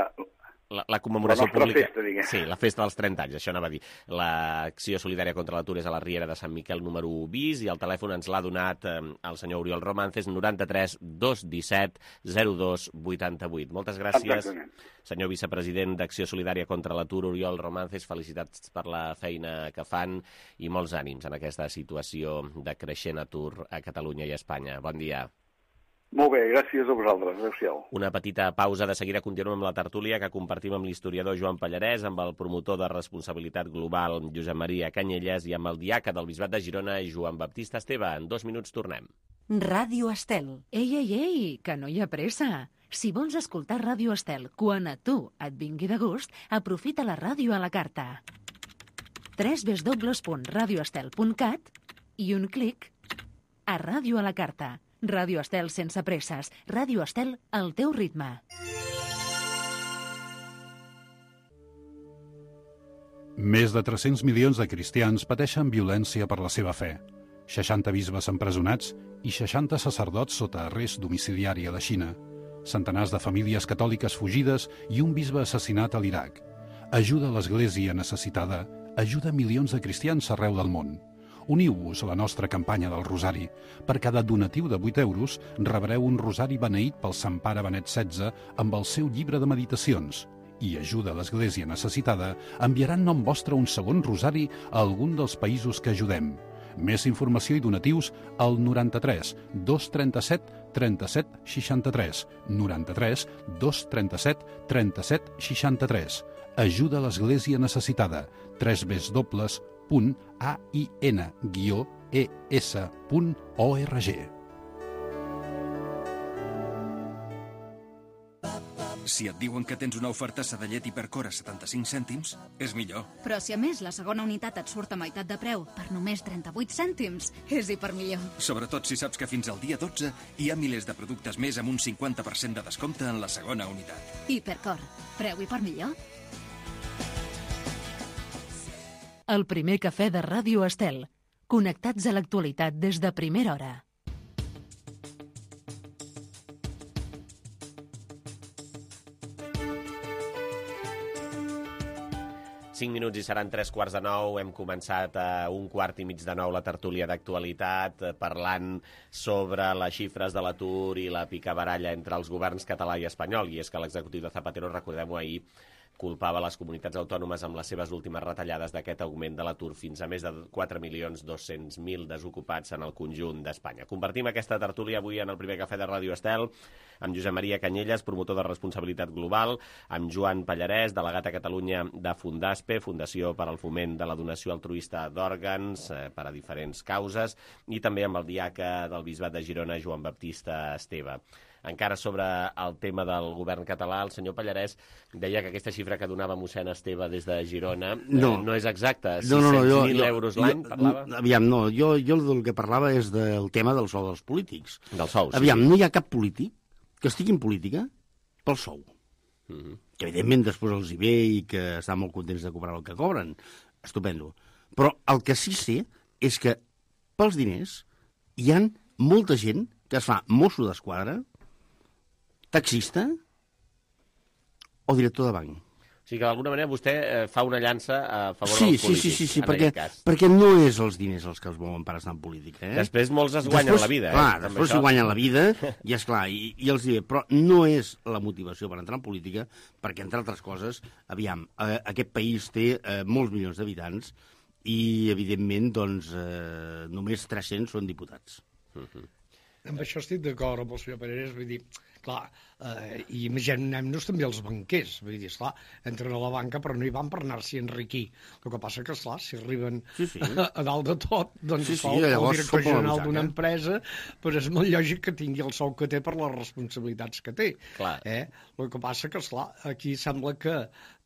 la, la commemoració la nostra pública. Festa, diguem. Sí, la festa dels trenta anys, això anava a dir. L'acció solidària contra l'atur és a la Riera de Sant Miquel número u bis i el telèfon ens l'ha donat eh, el senyor Oriol Romances, noranta-tres dos disset zero dos vuitanta vuit. Moltes gràcies, Exactament. senyor vicepresident d'Acció Solidària contra l'Atur, Oriol Romances. Felicitats per la feina que fan i molts ànims en aquesta situació de creixent atur a Catalunya i a Espanya. Bon dia. Molt bé, gràcies a vosaltres. Adéu-siau. Una petita pausa, de seguida continuem amb la tertúlia que compartim amb l'historiador Joan Pallarès, amb el promotor de responsabilitat global Josep Maria Canyelles i amb el diaca del Bisbat de Girona Joan Baptista Esteve. En dos minuts tornem. Ràdio Estel. Ei, ei, ei, que no hi ha pressa. Si vols escoltar Ràdio Estel quan a tu et vingui de gust, aprofita la ràdio a la carta. w w w punt radio estel punt cat i un clic a Ràdio a la carta. Ràdio Estel sense presses. Ràdio Estel al teu ritme. Més de tres-cents milions de cristians pateixen violència per la seva fe. seixanta bisbes empresonats i seixanta sacerdots sota arrest domiciliari a la Xina. Centenars de famílies catòliques fugides i un bisbe assassinat a l'Iraq. Ajuda l'Església necessitada. Ajuda milions de cristians arreu del món. Uniu-vos a la nostra campanya del Rosari. Per cada donatiu de vuit euros rebreu un rosari beneït pel Sant Pare Benet setze amb el seu llibre de meditacions. I Ajuda l'Església necessitada enviarà en nom vostre un segon rosari a algun dels països que ajudem. Més informació i donatius al noranta-tres dos trenta-set trenta-set seixanta-tres. noranta-tres dos trenta-set trenta-set seixanta-tres. Ajuda l'Església necessitada. tres w punt a i ena guió e essa punt org. Si et diuen que tens una oferta Sadellet Hipercore a setanta-cinc cèntims, és millor. Però si a més la segona unitat et surt a meitat de preu per només trenta-vuit cèntims, és hipermillor. Sobretot si saps que fins al dia dotze hi ha milers de productes més amb un cinquanta per cent de descompte en la segona unitat. Hipercore. Preu hipermillor? El primer cafè de Ràdio Estel. Connectats a l'actualitat des de primera hora. cinc minuts i seran tres quarts de nou. Hem començat a un quart i mig de nou la tertúlia d'actualitat, parlant sobre les xifres de l'atur i la picabaralla entre els governs català i espanyol. I és que l'executiu de Zapatero, recordem-ho ahir, culpava les comunitats autònomes amb les seves últimes retallades d'aquest augment de l'atur fins a més de quatre milions dos-cents mil desocupats en el conjunt d'Espanya. Compartim aquesta tertúlia avui en el primer cafè de Ràdio Estel amb Josep Maria Canyelles, promotor de responsabilitat global, amb Joan Pallarès, delegat a Catalunya de Fundaspe, Fundació per al Foment de la Donació Altruista d'Òrgans eh, per a diferents causes, i també amb el diaca del Bisbat de Girona, Joan Baptista Esteve. Encara sobre el tema del govern català, el senyor Pallarès deia que aquesta xifra que donava mossèn Esteve des de Girona no, eh, no és exacta, sis cents mil euros l'any, parlava? Aviam, no, jo, jo del que parlava és del tema del sou dels polítics. Del sou, sí. Aviam, no hi ha cap polític que estigui en política pel sou. Mm-hmm. Que evidentment després els hi ve i que estan molt contents de cobrar el que cobren. Estupendo. Però el que sí sé és que pels diners hi ha molta gent que es fa mosso d'esquadra, taxista o director de banc. O sigui que d'alguna manera vostè eh, fa una llança a favor sí, dels polítics, sí, sí, sí, en perquè, aquest cas. Perquè no és els diners els que els mouen per estar en política. Eh? Després molts es guanyen després, la vida. Eh? Clar, després s'hi guanyen la vida, i és clar, i, i els diré, però no és la motivació per entrar en política, perquè, entre altres coses, aviam, eh, aquest país té eh, molts milions d'habitants i, evidentment, doncs, eh, només tres-cents són diputats. Uh-huh. Amb això estic d'acord amb el senyor Pallarès, vull dir, clar, eh, i imaginem-nos també els banquers, vull dir, esclar, entren a la banca però no hi van per anar-s'hi a enriquir. El que passa que, esclar, si arriben sí, sí. A, a dalt de tot, doncs sí, sí, el, el director general d'una empresa, però és molt lògic que tingui el sou que té per les responsabilitats que té. Clar. Eh? El que passa que, esclar, aquí sembla que,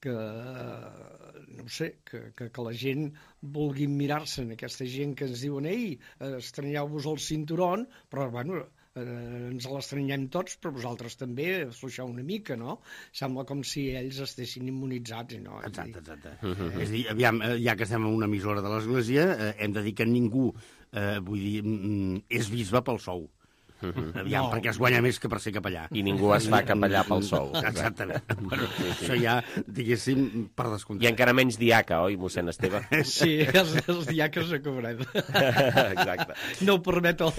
que no sé, que, que, que la gent vulgui mirar-se en aquesta gent que ens diuen ei, estranyeu-vos el cinturón, però, bueno, eh, ens l'estranyem tots, però vosaltres també afluixeu una mica, no? Sembla com si ells estessin immunitzats, no? Exacte, exacte. Uh-huh. És a dir, aviam, ja que estem en una emissora de l'Església, eh, hem de dir que ningú, eh, vull dir, mm, és bisbe pel sou. Uh-huh. Aviam, no. Perquè es guanya més que per ser capellà. I ningú es fa capellà pel sou. Exactament. Bueno, sí, sí. Això ja, diguéssim, per descomptat. I encara menys diaca, oi, mossèn Esteve? Sí, els, els diaques a cobrar. Exacte. No ho permet el,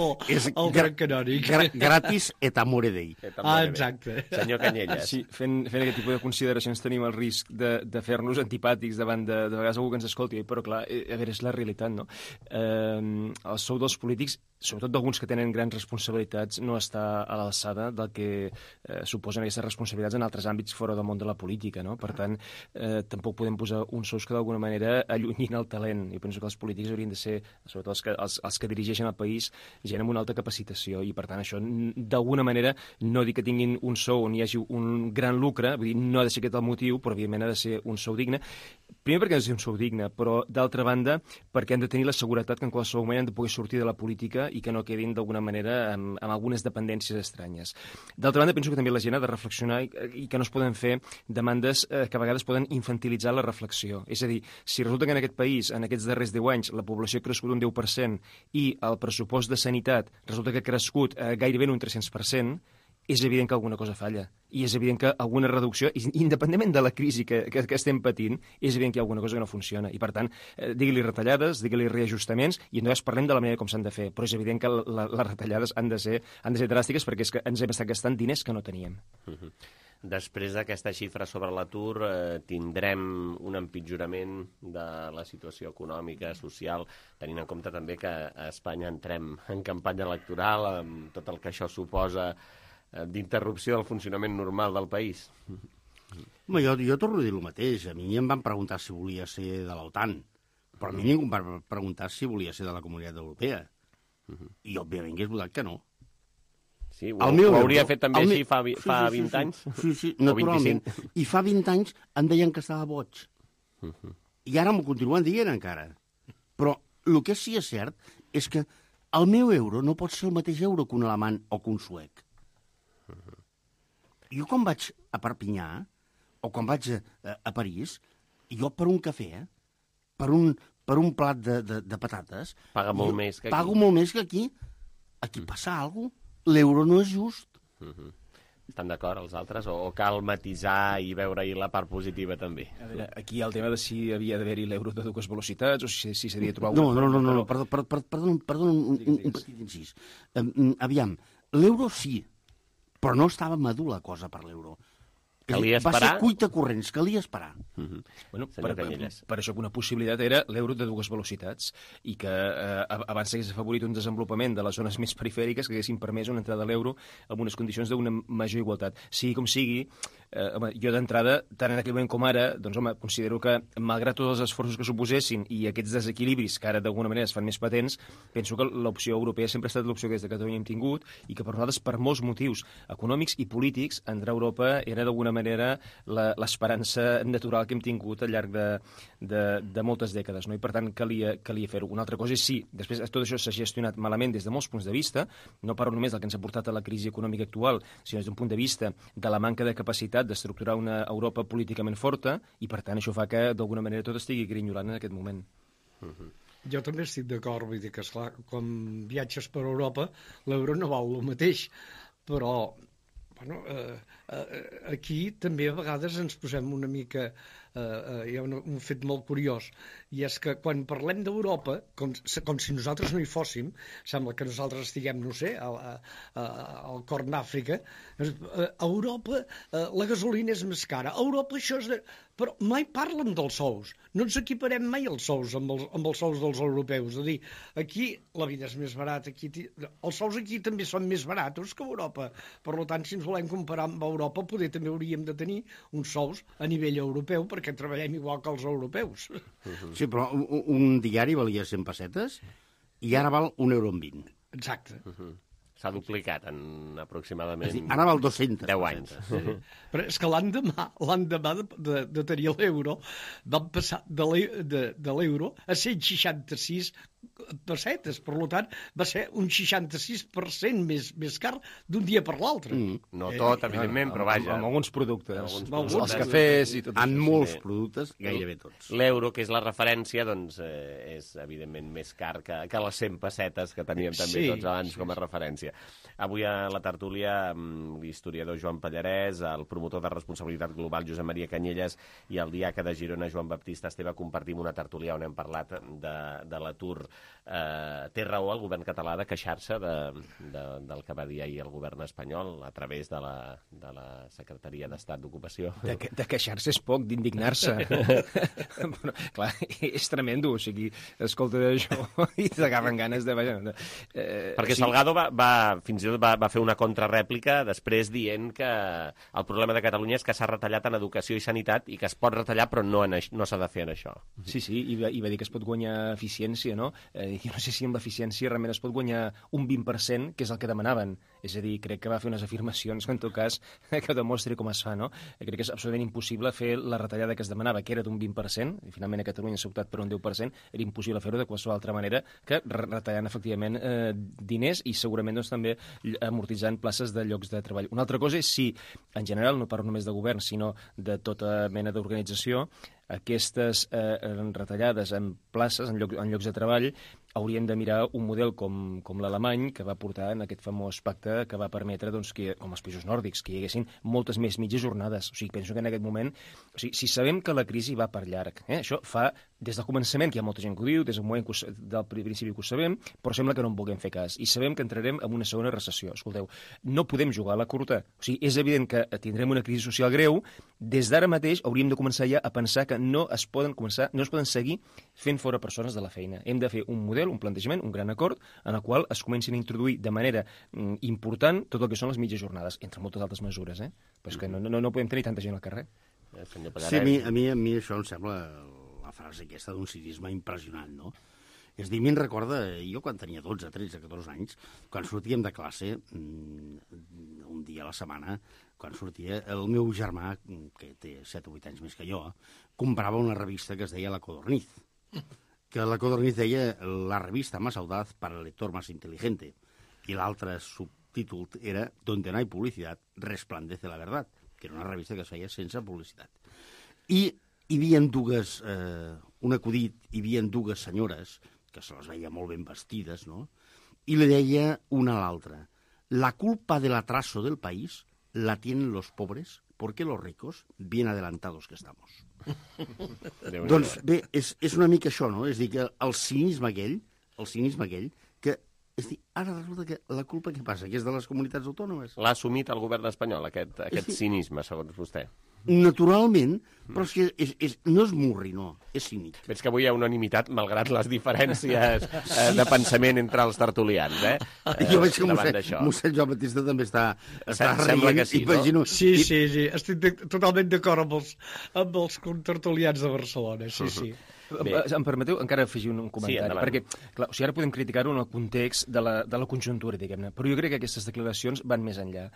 el dret canònic. Gra gratis et amore dei. Et amore ah, exacte. Dei. Senyor Canyelles. Sí, fent, fent aquest tipus de consideracions tenim el risc de, de fer-nos antipàtics davant de, de vegades algú que ens escolti, però clar, a veure, és la realitat, no? Eh, el sou dels polítics, sobretot d'alguns que tenen grans responsabilitats, no està a l'alçada del que eh, suposen aquestes responsabilitats en altres àmbits fora del món de la política, no? Per tant, eh, tampoc podem posar uns sous que d'alguna manera allunyin el talent. Jo penso que els polítics haurien de ser, sobretot els que, els, els que dirigeixen el país, gent amb una alta capacitació, i per tant això d'alguna manera no dic que tinguin un sou on hi hagi un gran lucre, vull dir, no ha de ser aquest el motiu, però evidentment ha de ser un sou digne. Primer perquè ha de ser un sou digne, però d'altra banda perquè han de tenir la seguretat que en qualsevol moment han de poder sortir de la política i que no quedin d'alguna manera amb, amb algunes dependències estranyes. D'altra banda, penso que també la gent ha de reflexionar i, i que no es poden fer demandes eh, que a vegades poden infantilitzar la reflexió. És a dir, si resulta que en aquest país, en aquests darrers deu anys, la població ha crescut un deu per cent i el pressupost de sanitat resulta que ha crescut eh, gairebé un tres-cents per cent, és evident que alguna cosa falla. I és evident que alguna reducció, independentment de la crisi que, que, que estem patint, és evident que hi ha alguna cosa que no funciona. I, per tant, eh, digue-li retallades, digue-li reajustaments, i no parlem de la manera com s'han de fer, però és evident que la, les retallades han de ser, han de ser dràstiques perquè és que ens hem estat gastant diners que no teníem. Uh-huh. Després d'aquesta xifra sobre l'atur, eh, tindrem un empitjorament de la situació econòmica, social, tenint en compte també que a Espanya entrem en campanya electoral, amb tot el que això suposa d'interrupció del funcionament normal del país. Home, jo, jo torno a dir el mateix. A mi em van preguntar si volia ser de l'OTAN, però a mi ningú em va preguntar si volia ser de la Comunitat Europea. Uh-huh. I, òbviament, hagués votat que no. Sí, ho, ho hauria fet també així fa, fa sí, sí, vint sí, anys? Sí, sí, naturalment. I fa vint anys em deien que estava boig. Uh-huh. I ara m'ho continuen dient encara. Però el que sí és cert és que el meu euro no pot ser el mateix euro que un alemany o que un suec. Uh-huh. Jo quan vaig a Perpinyà o quan vaig a, a París, jo per un cafè, per un, per un plat de, de, de patates... Paga molt més que aquí. Pago molt més que aquí. Aquí passa alguna cosa. L'euro no és just. Uh-huh. Estan d'acord els altres? O cal matisar i veure-hi la part positiva també? A veure, aquí hi ha el tema de si havia d'haver-hi l'euro de dues velocitats o si s'havia de trobar... No, no, no, no, perdó, perdó, perdó, perdó un, un, un petit incís. Um, aviam, l'euro sí, però no estava madur la cosa per l'euro. Calia esperar? Va ser cuita corrents, calia esperar. Uh-huh. Bueno, per, per, per això que una possibilitat era l'euro de dues velocitats i que eh, abans s'hagués afavorit un desenvolupament de les zones més perifèriques que haguessin permès una entrada a l'euro amb unes condicions d'una major igualtat. Sigui com sigui, eh, home, jo d'entrada, tant en aquell moment com ara, doncs home, considero que malgrat tots els esforços que suposessin i aquests desequilibris que ara d'alguna manera es fan més patents, penso que l'opció europea sempre ha estat l'opció que des de Catalunya hem tingut i que per nosaltres, per molts motius econòmics i polítics, entrar a Europa era d'alguna manera l'esperança natural que hem tingut al llarg de, de, de moltes dècades, no? I per tant calia, calia fer-ho. Una altra cosa és sí, després tot això s'ha gestionat malament des de molts punts de vista, no parlo només del que ens ha portat a la crisi econòmica actual, sinó des d'un punt de vista de la manca de capacitat d'estructurar una Europa políticament forta i per tant això fa que d'alguna manera tot estigui grinyolant en aquest moment. Uh-huh. Jo també estic d'acord, vull dir que esclar, quan viatges per Europa l'euro no val el mateix, però bueno, eh, eh, aquí també a vegades ens posem una mica... Eh, eh, hi ha un, un fet molt curiós, i és que quan parlem d'Europa, com, com si nosaltres no hi fóssim, sembla que nosaltres estiguem, no sé, al, al Corn d'Àfrica, a Europa eh, la gasolina és més cara, a Europa això és... De... Però mai parlen dels sous, no ens equiparem mai els sous amb els, amb els sous dels europeus, és a dir, aquí la vida és més barata, aquí, els sous aquí també són més baratos que a Europa, per tant, si ens volem comparar amb Europa, poder també hauríem de tenir uns sous a nivell europeu, perquè treballem igual que els europeus. Sí, però un, un diari valia cent pessetes i ara val un euro en vint. Exacte. Uh-huh. S'ha duplicat en aproximadament... Dir, ara val dos-cents deu anys. Sí. Però és que l'endemà, l'endemà de, de, de tenir l'euro, vam passar de l'euro a cent seixanta-sis pessetes. Per tant, va ser un seixanta-sis per cent més, més car d'un dia per l'altre. Mm. No tot, eh, evidentment, però vaja. Amb, amb alguns productes. Alguns productes. Els cafès i tot en això. molts sí. productes, gairebé tots. L'euro, que és la referència, doncs, eh, és evidentment més car que, que les cent pessetes que teníem també sí, tots abans sí, com a referència. Avui a la tertúlia, l'historiador Joan Pallarès, el promotor de responsabilitat global Josep Maria Canyelles i el diaca de Girona Joan Baptista Esteve compartim una tertúlia on hem parlat de, de l'atur. Eh, té raó el govern català de queixar-se de, de, del que va dir ahir el govern espanyol a través de la, de la Secretaria d'Estat d'Ocupació. De, de queixar-se és poc, d'indignar-se. Però, clar, és tremendo, o sigui, escolta això i t'agafen ganes de... Eh, Perquè sí. Salgado va, va, fins i tot va, va fer una contrarèplica després dient que el problema de Catalunya és que s'ha retallat en educació i sanitat i que es pot retallar però no, en, no s'ha de fer en això. Sí, sí, i va, i va dir que es pot guanyar eficiència, no? Eh, jo no sé si amb l'eficiència realment es pot guanyar un vint per cent, que és el que demanaven. És a dir, crec que va fer unes afirmacions que en tot cas que demostri com es fa, no? Crec que és absolutament impossible fer la retallada que es demanava, que era d'un vint per cent, i finalment a Catalunya s'ha optat per un deu per cent, era impossible fer-ho de qualsevol altra manera que retallant efectivament eh, diners i segurament doncs, també amortitzant places de llocs de treball. Una altra cosa és si, en general, no parlo només de govern, sinó de tota mena d'organització, aquestes eh, retallades en places, en, lloc, en llocs de treball, hauríem de mirar un model com, com l'alemany, que va portar en aquest famós pacte que va permetre, doncs, que, com els països nòrdics, que hi haguessin moltes més mitges jornades. O sigui, penso que en aquest moment... O sigui, si sabem que la crisi va per llarg, eh, això fa des del començament, que hi ha molta gent que ho diu, des del moment que ho, del principi que ho sabem, però sembla que no en vulguem fer cas. I sabem que entrarem en una segona recessió. Escolteu, no podem jugar a la curta. O sigui, és evident que tindrem una crisi social greu. Des d'ara mateix hauríem de començar ja a pensar que no es poden començar, no es poden seguir fent fora persones de la feina. Hem de fer un model, un plantejament, un gran acord, en el qual es comencin a introduir de manera mm, important tot el que són les mitges jornades, entre moltes altres mesures, eh? Però és que no, no, no podem tenir tanta gent al carrer. Sí, a mi, a mi, a mi això em sembla la frase aquesta d'un cinisme impressionant, no? És a dir, a mi em recorda, jo quan tenia dotze, tretze, catorze anys, quan sortíem de classe, un dia a la setmana, quan sortia, el meu germà, que té set o vuit anys més que jo, comprava una revista que es deia La Codorniz, que La Codorniz deia la revista más audaz para el lector más inteligente, i l'altre subtítol era Donde no hay publicidad, resplandece la verdad, que era una revista que es feia sense publicitat. I hi havia dues, eh, un acudit, hi havia dues senyores, que se les veia molt ben vestides, no? I li deia una a l'altra, la culpa del atraso del país la tienen los pobres porque los ricos, bien adelantados que estamos. Doncs bé, és, és una mica això, no? És dir, que el cinisme aquell, el cinisme aquell, que és dir, ara resulta que la culpa què passa? Que és de les comunitats autònomes? L'ha assumit el govern espanyol, aquest, aquest dir, cinisme, segons vostè. Naturalment, però és que és, és, no és murri, no, és cínic. Veig que avui hi ha unanimitat, malgrat les diferències eh, de pensament entre els tertulians, eh? eh jo veig que mossèn, mossèn Joan Batista també està, està Sembla que sí, imagino... no? Sí, sí, sí, estic de, totalment d'acord amb els, amb els tertulians de Barcelona, sí, sí. Bé. Em permeteu encara afegir un comentari? Sí, perquè, clar, o sigui, ara podem criticar-ho en el context de la, de la conjuntura, diguem-ne, però jo crec que aquestes declaracions van més enllà.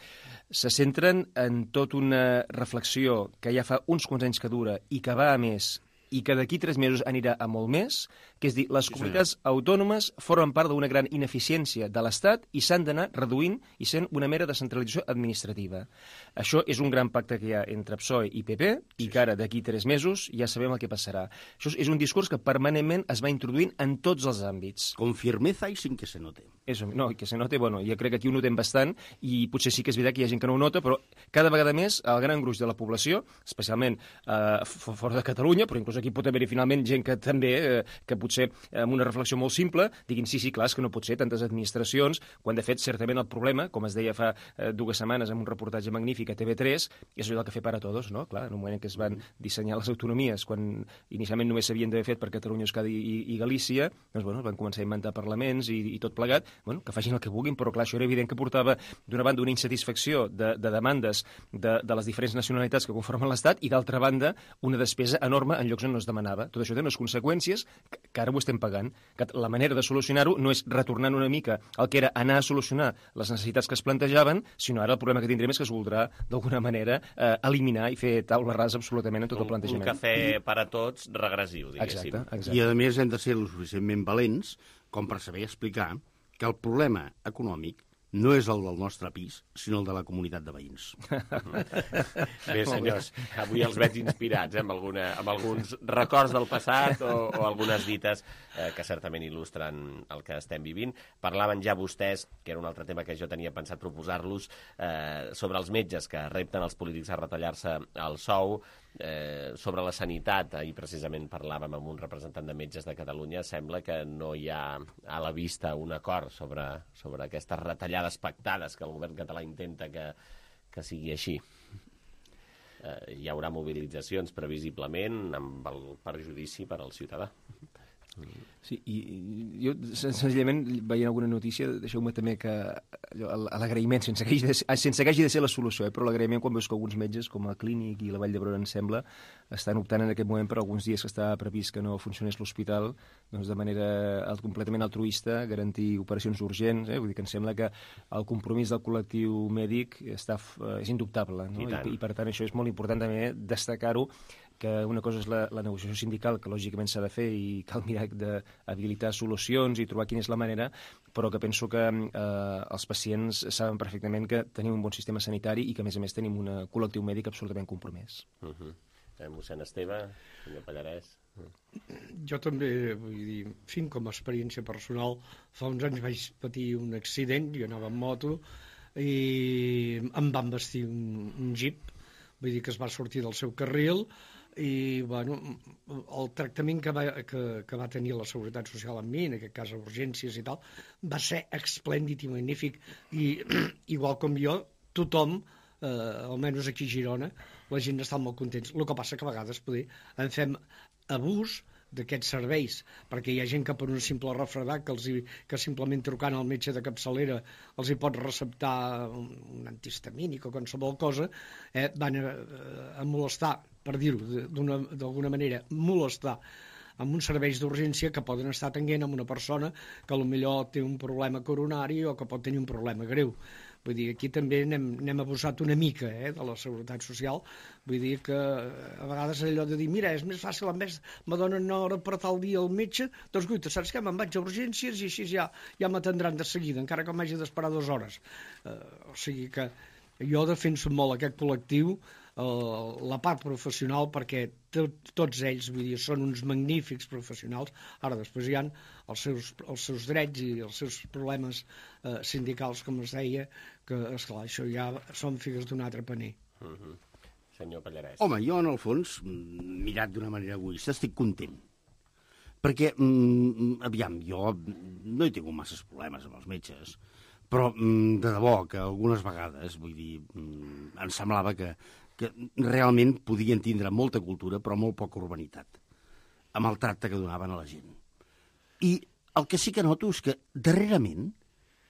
Se centren en tota una reflexió que ja fa uns quants anys que dura i que va a més i que d'aquí tres mesos anirà a molt més, que és dir, les sí, comunitats senyor. autònomes formen part d'una gran ineficiència de l'Estat i s'han d'anar reduint i sent una mera descentralització administrativa. Això és un gran pacte que hi ha entre P S O E i P P i que ara, d'aquí tres mesos, ja sabem el que passarà. Això és un discurs que permanentment es va introduint en tots els àmbits. Con firmeza i sin que se note. Eso, no, que se note, bueno, jo crec que aquí ho notem bastant i potser sí que és veritat que hi ha gent que no ho nota, però cada vegada més el gran gruix de la població, especialment eh, fora de Catalunya, però inclús aquí pot haver-hi finalment gent que també, eh, que potser amb una reflexió molt simple, diguin sí, sí, clar, és que no pot ser tantes administracions, quan de fet certament el problema, com es deia fa eh, dues setmanes en un reportatge magnífic a T V tres, és allò del cafè para todos, no? Clar, en un moment en què es van dissenyar les autonomies, quan inicialment només s'havien d'haver fet per Catalunya, Euskadi i, i Galícia, doncs bueno, van començar a inventar parlaments i, i tot plegat, bueno, que facin el que vulguin, però clar, això era evident que portava d'una banda una insatisfacció de, de demandes de, de les diferents nacionalitats que conformen l'Estat i d'altra banda una despesa enorme en llocs on no es demanava. Tot això té unes conseqüències que, que ara ho estem pagant. Que la manera de solucionar-ho no és retornant una mica el que era anar a solucionar les necessitats que es plantejaven, sinó ara el problema que tindrem és que es voldrà d'alguna manera eh, eliminar i fer taula rasa absolutament en tot un, el plantejament. Un cafè per a tots regressiu, diguéssim. Exacte, exacte. I a més hem de ser lo suficientment valents com per saber explicar que el problema econòmic no és el del nostre pis, sinó el de la comunitat de veïns. Bé, senyors, avui els veig inspirats, eh, amb, alguna, amb alguns records del passat o, o algunes dites eh, que certament il·lustren el que estem vivint. Parlaven ja vostès, que era un altre tema que jo tenia pensat proposar-los, eh, sobre els metges que repten els polítics a retallar-se el sou, eh, sobre la sanitat. Ahir precisament parlàvem amb un representant de Metges de Catalunya. Sembla que no hi ha a la vista un acord sobre, sobre aquestes retallades pactades que el govern català intenta que, que sigui així. Eh, hi haurà mobilitzacions previsiblement amb el perjudici per al ciutadà. Sí, i jo senzillament veient alguna notícia, deixeu-me també que l'agraïment, sense que hagi de ser, sense que hagi de ser la solució, eh, però l'agraïment quan veus que alguns metges, com el Clínic i la Vall d'Hebron, em sembla, estan optant en aquest moment per alguns dies que està previst que no funcionés l'hospital, doncs de manera completament altruista, garantir operacions urgents, eh? Vull dir que em sembla que el compromís del col·lectiu mèdic està, és indubtable, no? I, I, I per tant això és molt important també destacar-ho, que una cosa és la, la negociació sindical, que lògicament s'ha de fer i cal mirar d'habilitar solucions i trobar quina és la manera, però que penso que eh, els pacients saben perfectament que tenim un bon sistema sanitari i que, a més a més, tenim un col·lectiu mèdic absolutament compromès. Uh -huh. eh, mossèn Esteve, senyor Pallarès... Uh. Jo també, vull dir, en fi, com a experiència personal, fa uns anys vaig patir un accident, jo anava en moto, i em van vestir un, un jeep, vull dir que es va sortir del seu carril, i bueno, el tractament que va, que, que va tenir la Seguretat Social amb mi, en aquest cas a urgències i tal, va ser esplèndid i magnífic, i igual com jo, tothom, eh, almenys aquí a Girona, la gent està molt contents. El que passa que a vegades poder, en fem abús d'aquests serveis, perquè hi ha gent que per un simple refredat que, els hi, que simplement trucant al metge de capçalera els hi pot receptar un, un antihistamínic o qualsevol cosa, eh, van a, a molestar, per dir-ho d'alguna manera, molestar amb uns serveis d'urgència que poden estar atenent amb una persona que potser té un problema coronari o que pot tenir un problema greu. Vull dir, aquí també n'hem, n'hem abusat una mica eh, de la Seguretat Social. Vull dir que a vegades allò de dir, mira, és més fàcil, en vez me donen una hora per tal dia al metge, doncs guita, saps què? Me'n vaig a urgències i així ja, ja m'atendran de seguida, encara que m'hagi d'esperar dues hores. Uh, o sigui que jo defenso molt aquest col·lectiu la part professional, perquè tot, tots ells, vull dir, són uns magnífics professionals. Ara després hi ha els seus, els seus drets i els seus problemes eh, sindicals, com es deia, que, esclar, això ja són figues d'un altre paner. Uh-huh. Senyor Pallarès. Home, jo, en el fons, mirat d'una manera egoista, estic content. Perquè, mm, aviam, jo no he tingut masses problemes amb els metges, però mm, de debò que algunes vegades, vull dir, mm, em semblava que que realment podien tindre molta cultura però molt poca urbanitat, amb el tracte que donaven a la gent. I el que sí que noto és que darrerament,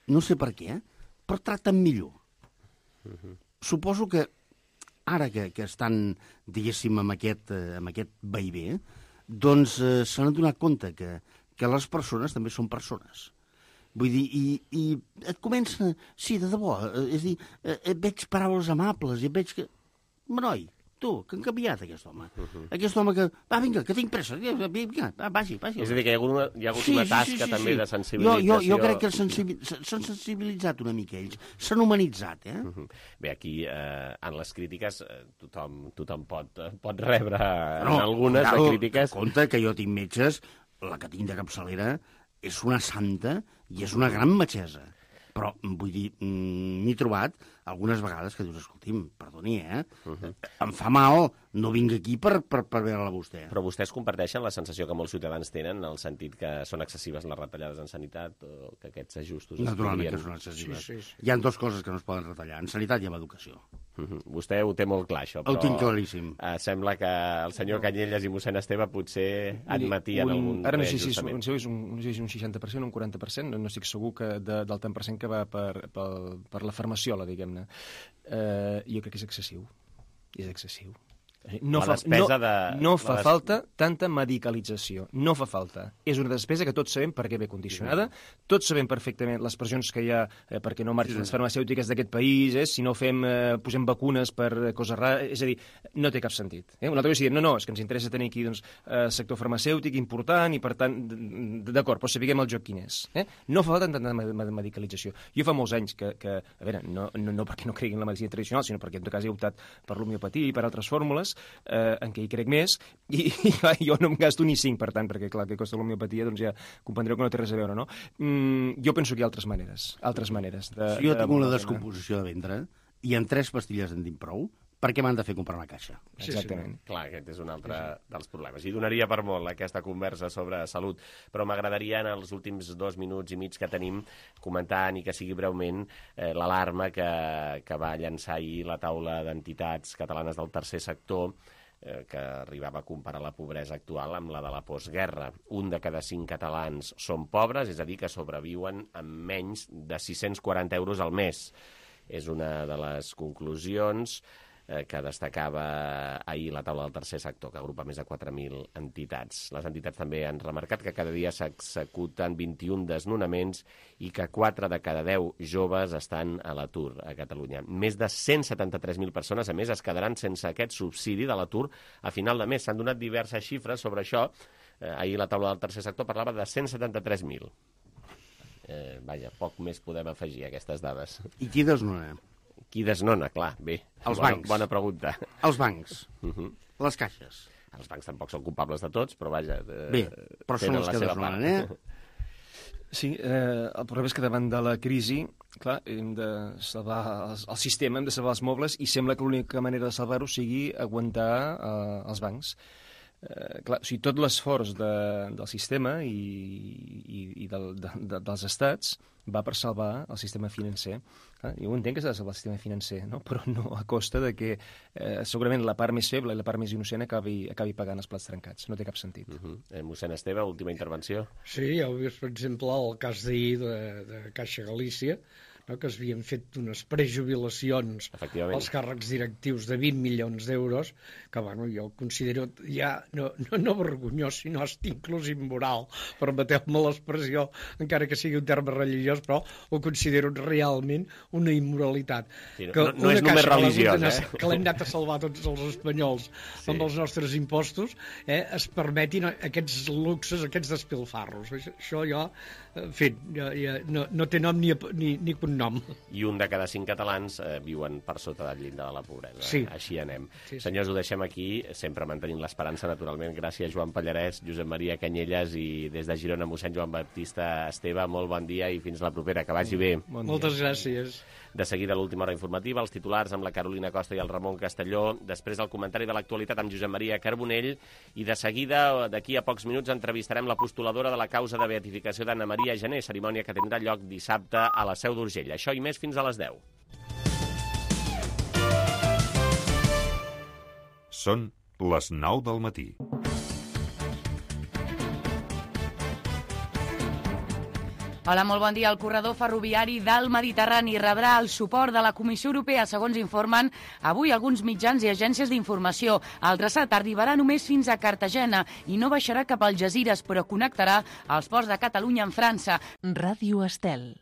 no sé per què, però tracten millor. Uh-huh. Suposo que ara que, que estan, diguéssim, amb aquest, eh, amb aquest vaivé, doncs eh, s'han donat compte que, que les persones també són persones. Vull dir, i, i et comença... Sí, de debò, eh, és dir, eh, veig paraules amables i veig que... Noi, tu, que han canviat aquest home. Uh-huh. Aquest home que... Va, vinga, que tinc pressa. Vinga, va, vagi, vagi. És a dir, que hi ha hagut una, hi ha hagut sí, una tasca sí, sí, sí, també sí. de sensibilització. Jo, jo, jo crec que s'han sensibilitzat una mica ells. S'han humanitzat, eh? Uh-huh. Bé, aquí, eh, en les crítiques, eh, tothom, tothom pot, pot rebre no, en algunes no, de crítiques. Compte que jo tinc metges, la que tinc de capçalera és una santa i és una gran metgessa. Però, vull dir, m'he trobat algunes vegades que dius, escolti'm, perdoni, eh? Uh-huh. Em fa mal, no vinc aquí per, per, per veure-la a vostè. Però vostès comparteixen la sensació que molts ciutadans tenen, en el sentit que són excessives les retallades en sanitat o que aquests ajustos... Naturalment podrien... que són excessives. Sí, sí, sí. Hi ha dues coses que no es poden retallar, en sanitat i en educació. Uh-huh. Vostè ho té molt clar, això, però... Ho tinc claríssim. Eh, sembla que el senyor Canyelles i mossèn Esteve potser admetien un, algun ara no sé si és, reajustament. no sé si és un, no sé si és un seixanta per cent o un quaranta per cent, no, no estic segur que de, del tant per cent que va per, per, per la farmaciola, diguem-ne. Uh, jo crec que és excessiu. És excessiu. No fa, no, de... no fa des... falta tanta medicalització. No fa falta. És una despesa que tots sabem perquè ve condicionada. Tots sabem perfectament les pressions que hi ha eh, perquè no marxin les farmacèutiques d'aquest país, eh, si no fem, eh, posem vacunes per coses rares. És a dir, no té cap sentit. Eh? Una altra cosa és dir, no, no, és que ens interessa tenir aquí doncs, eh, sector farmacèutic important i, per tant, d'acord, però sapiguem el joc quin és. Eh? No fa falta tanta medicalització. Jo fa molts anys que, que a veure, no, no, no perquè no cregui en la medicina tradicional, sinó perquè en tot cas he optat per l'homeopatia i per altres fórmules, Eh, en què hi crec més, i, i clar, jo no em gasto ni cinc, per tant, perquè clar, que costa l'homeopatia, doncs ja comprendreu que no té res a veure, no? Mm, jo penso que hi ha altres maneres, altres maneres. De, si jo de, tinc una descomposició de ventre i en tres pastilles en tinc prou, per què m'han de fer comprar una caixa? Exactament. Sí, sí. Clar, aquest és un altre dels problemes. I donaria per molt aquesta conversa sobre salut, però m'agradaria en els últims dos minuts i mig que tenim comentar, ni que sigui breument, eh, l'alarma que, que va llançar ahir la taula d'entitats catalanes del tercer sector, eh, que arribava a comparar la pobresa actual amb la de la postguerra. Un de cada cinc catalans són pobres, és a dir, que sobreviuen amb menys de sis-cents quaranta euros al mes. És una de les conclusions eh, que destacava ahir la taula del tercer sector, que agrupa més de quatre mil entitats. Les entitats també han remarcat que cada dia s'executen vint-i-un desnonaments i que quatre de cada deu joves estan a l'atur a Catalunya. Més de cent setanta-tres mil persones, a més, es quedaran sense aquest subsidi de l'atur a final de mes. S'han donat diverses xifres sobre això. Eh, ahir la taula del tercer sector parlava de cent setanta-tres mil. Eh, vaja, poc més podem afegir a aquestes dades. I qui desnona? Qui desnona, clar, bé. Els bona, bancs. Bona pregunta. Els bancs. Uh -huh. Les caixes. Els bancs tampoc són culpables de tots, però vaja... Eh, bé, però són els que desnonen, eh? Sí, eh, el problema és que davant de la crisi, clar, hem de salvar el, el sistema, hem de salvar els mobles, i sembla que l'única manera de salvar-ho sigui aguantar eh, els bancs. Eh, clar, o sigui, tot l'esforç de, del sistema i, i, i del, de, de, dels estats va per salvar el sistema financer. Clar, jo entenc que s'ha de salvar el sistema financer, no? Però no a costa de que eh, segurament la part més feble i la part més innocent acabi, acabi pagant els plats trencats. No té cap sentit. Uh -huh. eh, mossèn Esteve, última intervenció. Sí, ja heu vist, per exemple, el cas d'ahir de, de Caixa Galícia, no, que s'havien fet unes prejubilacions als càrrecs directius de vint milions d'euros, que bueno, jo considero ja no, no, no vergonyós, sinó hasta inclús immoral, permeteu-me l'expressió, encara que sigui un terme religiós, però ho considero realment una immoralitat. Sí, no, que no, no és només religiós, eh? Que l'hem anat a salvar tots els espanyols sí. amb els nostres impostos, eh, es permetin aquests luxes, aquests despilfarros. Això jo, en fi, ja, ja, no, no té nom ni, ni, ni connotació un nom. I un de cada cinc catalans eh, viuen per sota del llindar de la pobresa. Sí. Així anem. Sí, sí. Senyors, ho deixem aquí, sempre mantenint l'esperança, naturalment. Gràcies, Joan Pallarès, Josep Maria Canyelles i des de Girona, mossèn Joan Baptista Esteve. Molt bon dia i fins la propera. Que vagi bé. Bon Moltes gràcies. De seguida, l'última hora informativa, els titulars amb la Carolina Costa i el Ramon Castelló. Després, el comentari de l'actualitat amb Josep Maria Carbonell. I de seguida, d'aquí a pocs minuts, entrevistarem la postuladora de la causa de beatificació d'Anna Maria Gené, cerimònia que tindrà lloc dissabte a la Seu d'Urgell. Això i més fins a les deu. Són les nou del matí. Hola, molt bon dia. El corredor ferroviari del Mediterrani rebrà el suport de la Comissió Europea, segons informen avui alguns mitjans i agències d'informació. El traçat arribarà només fins a Cartagena i no baixarà cap al Algesires, però connectarà els ports de Catalunya amb França. Ràdio Estel.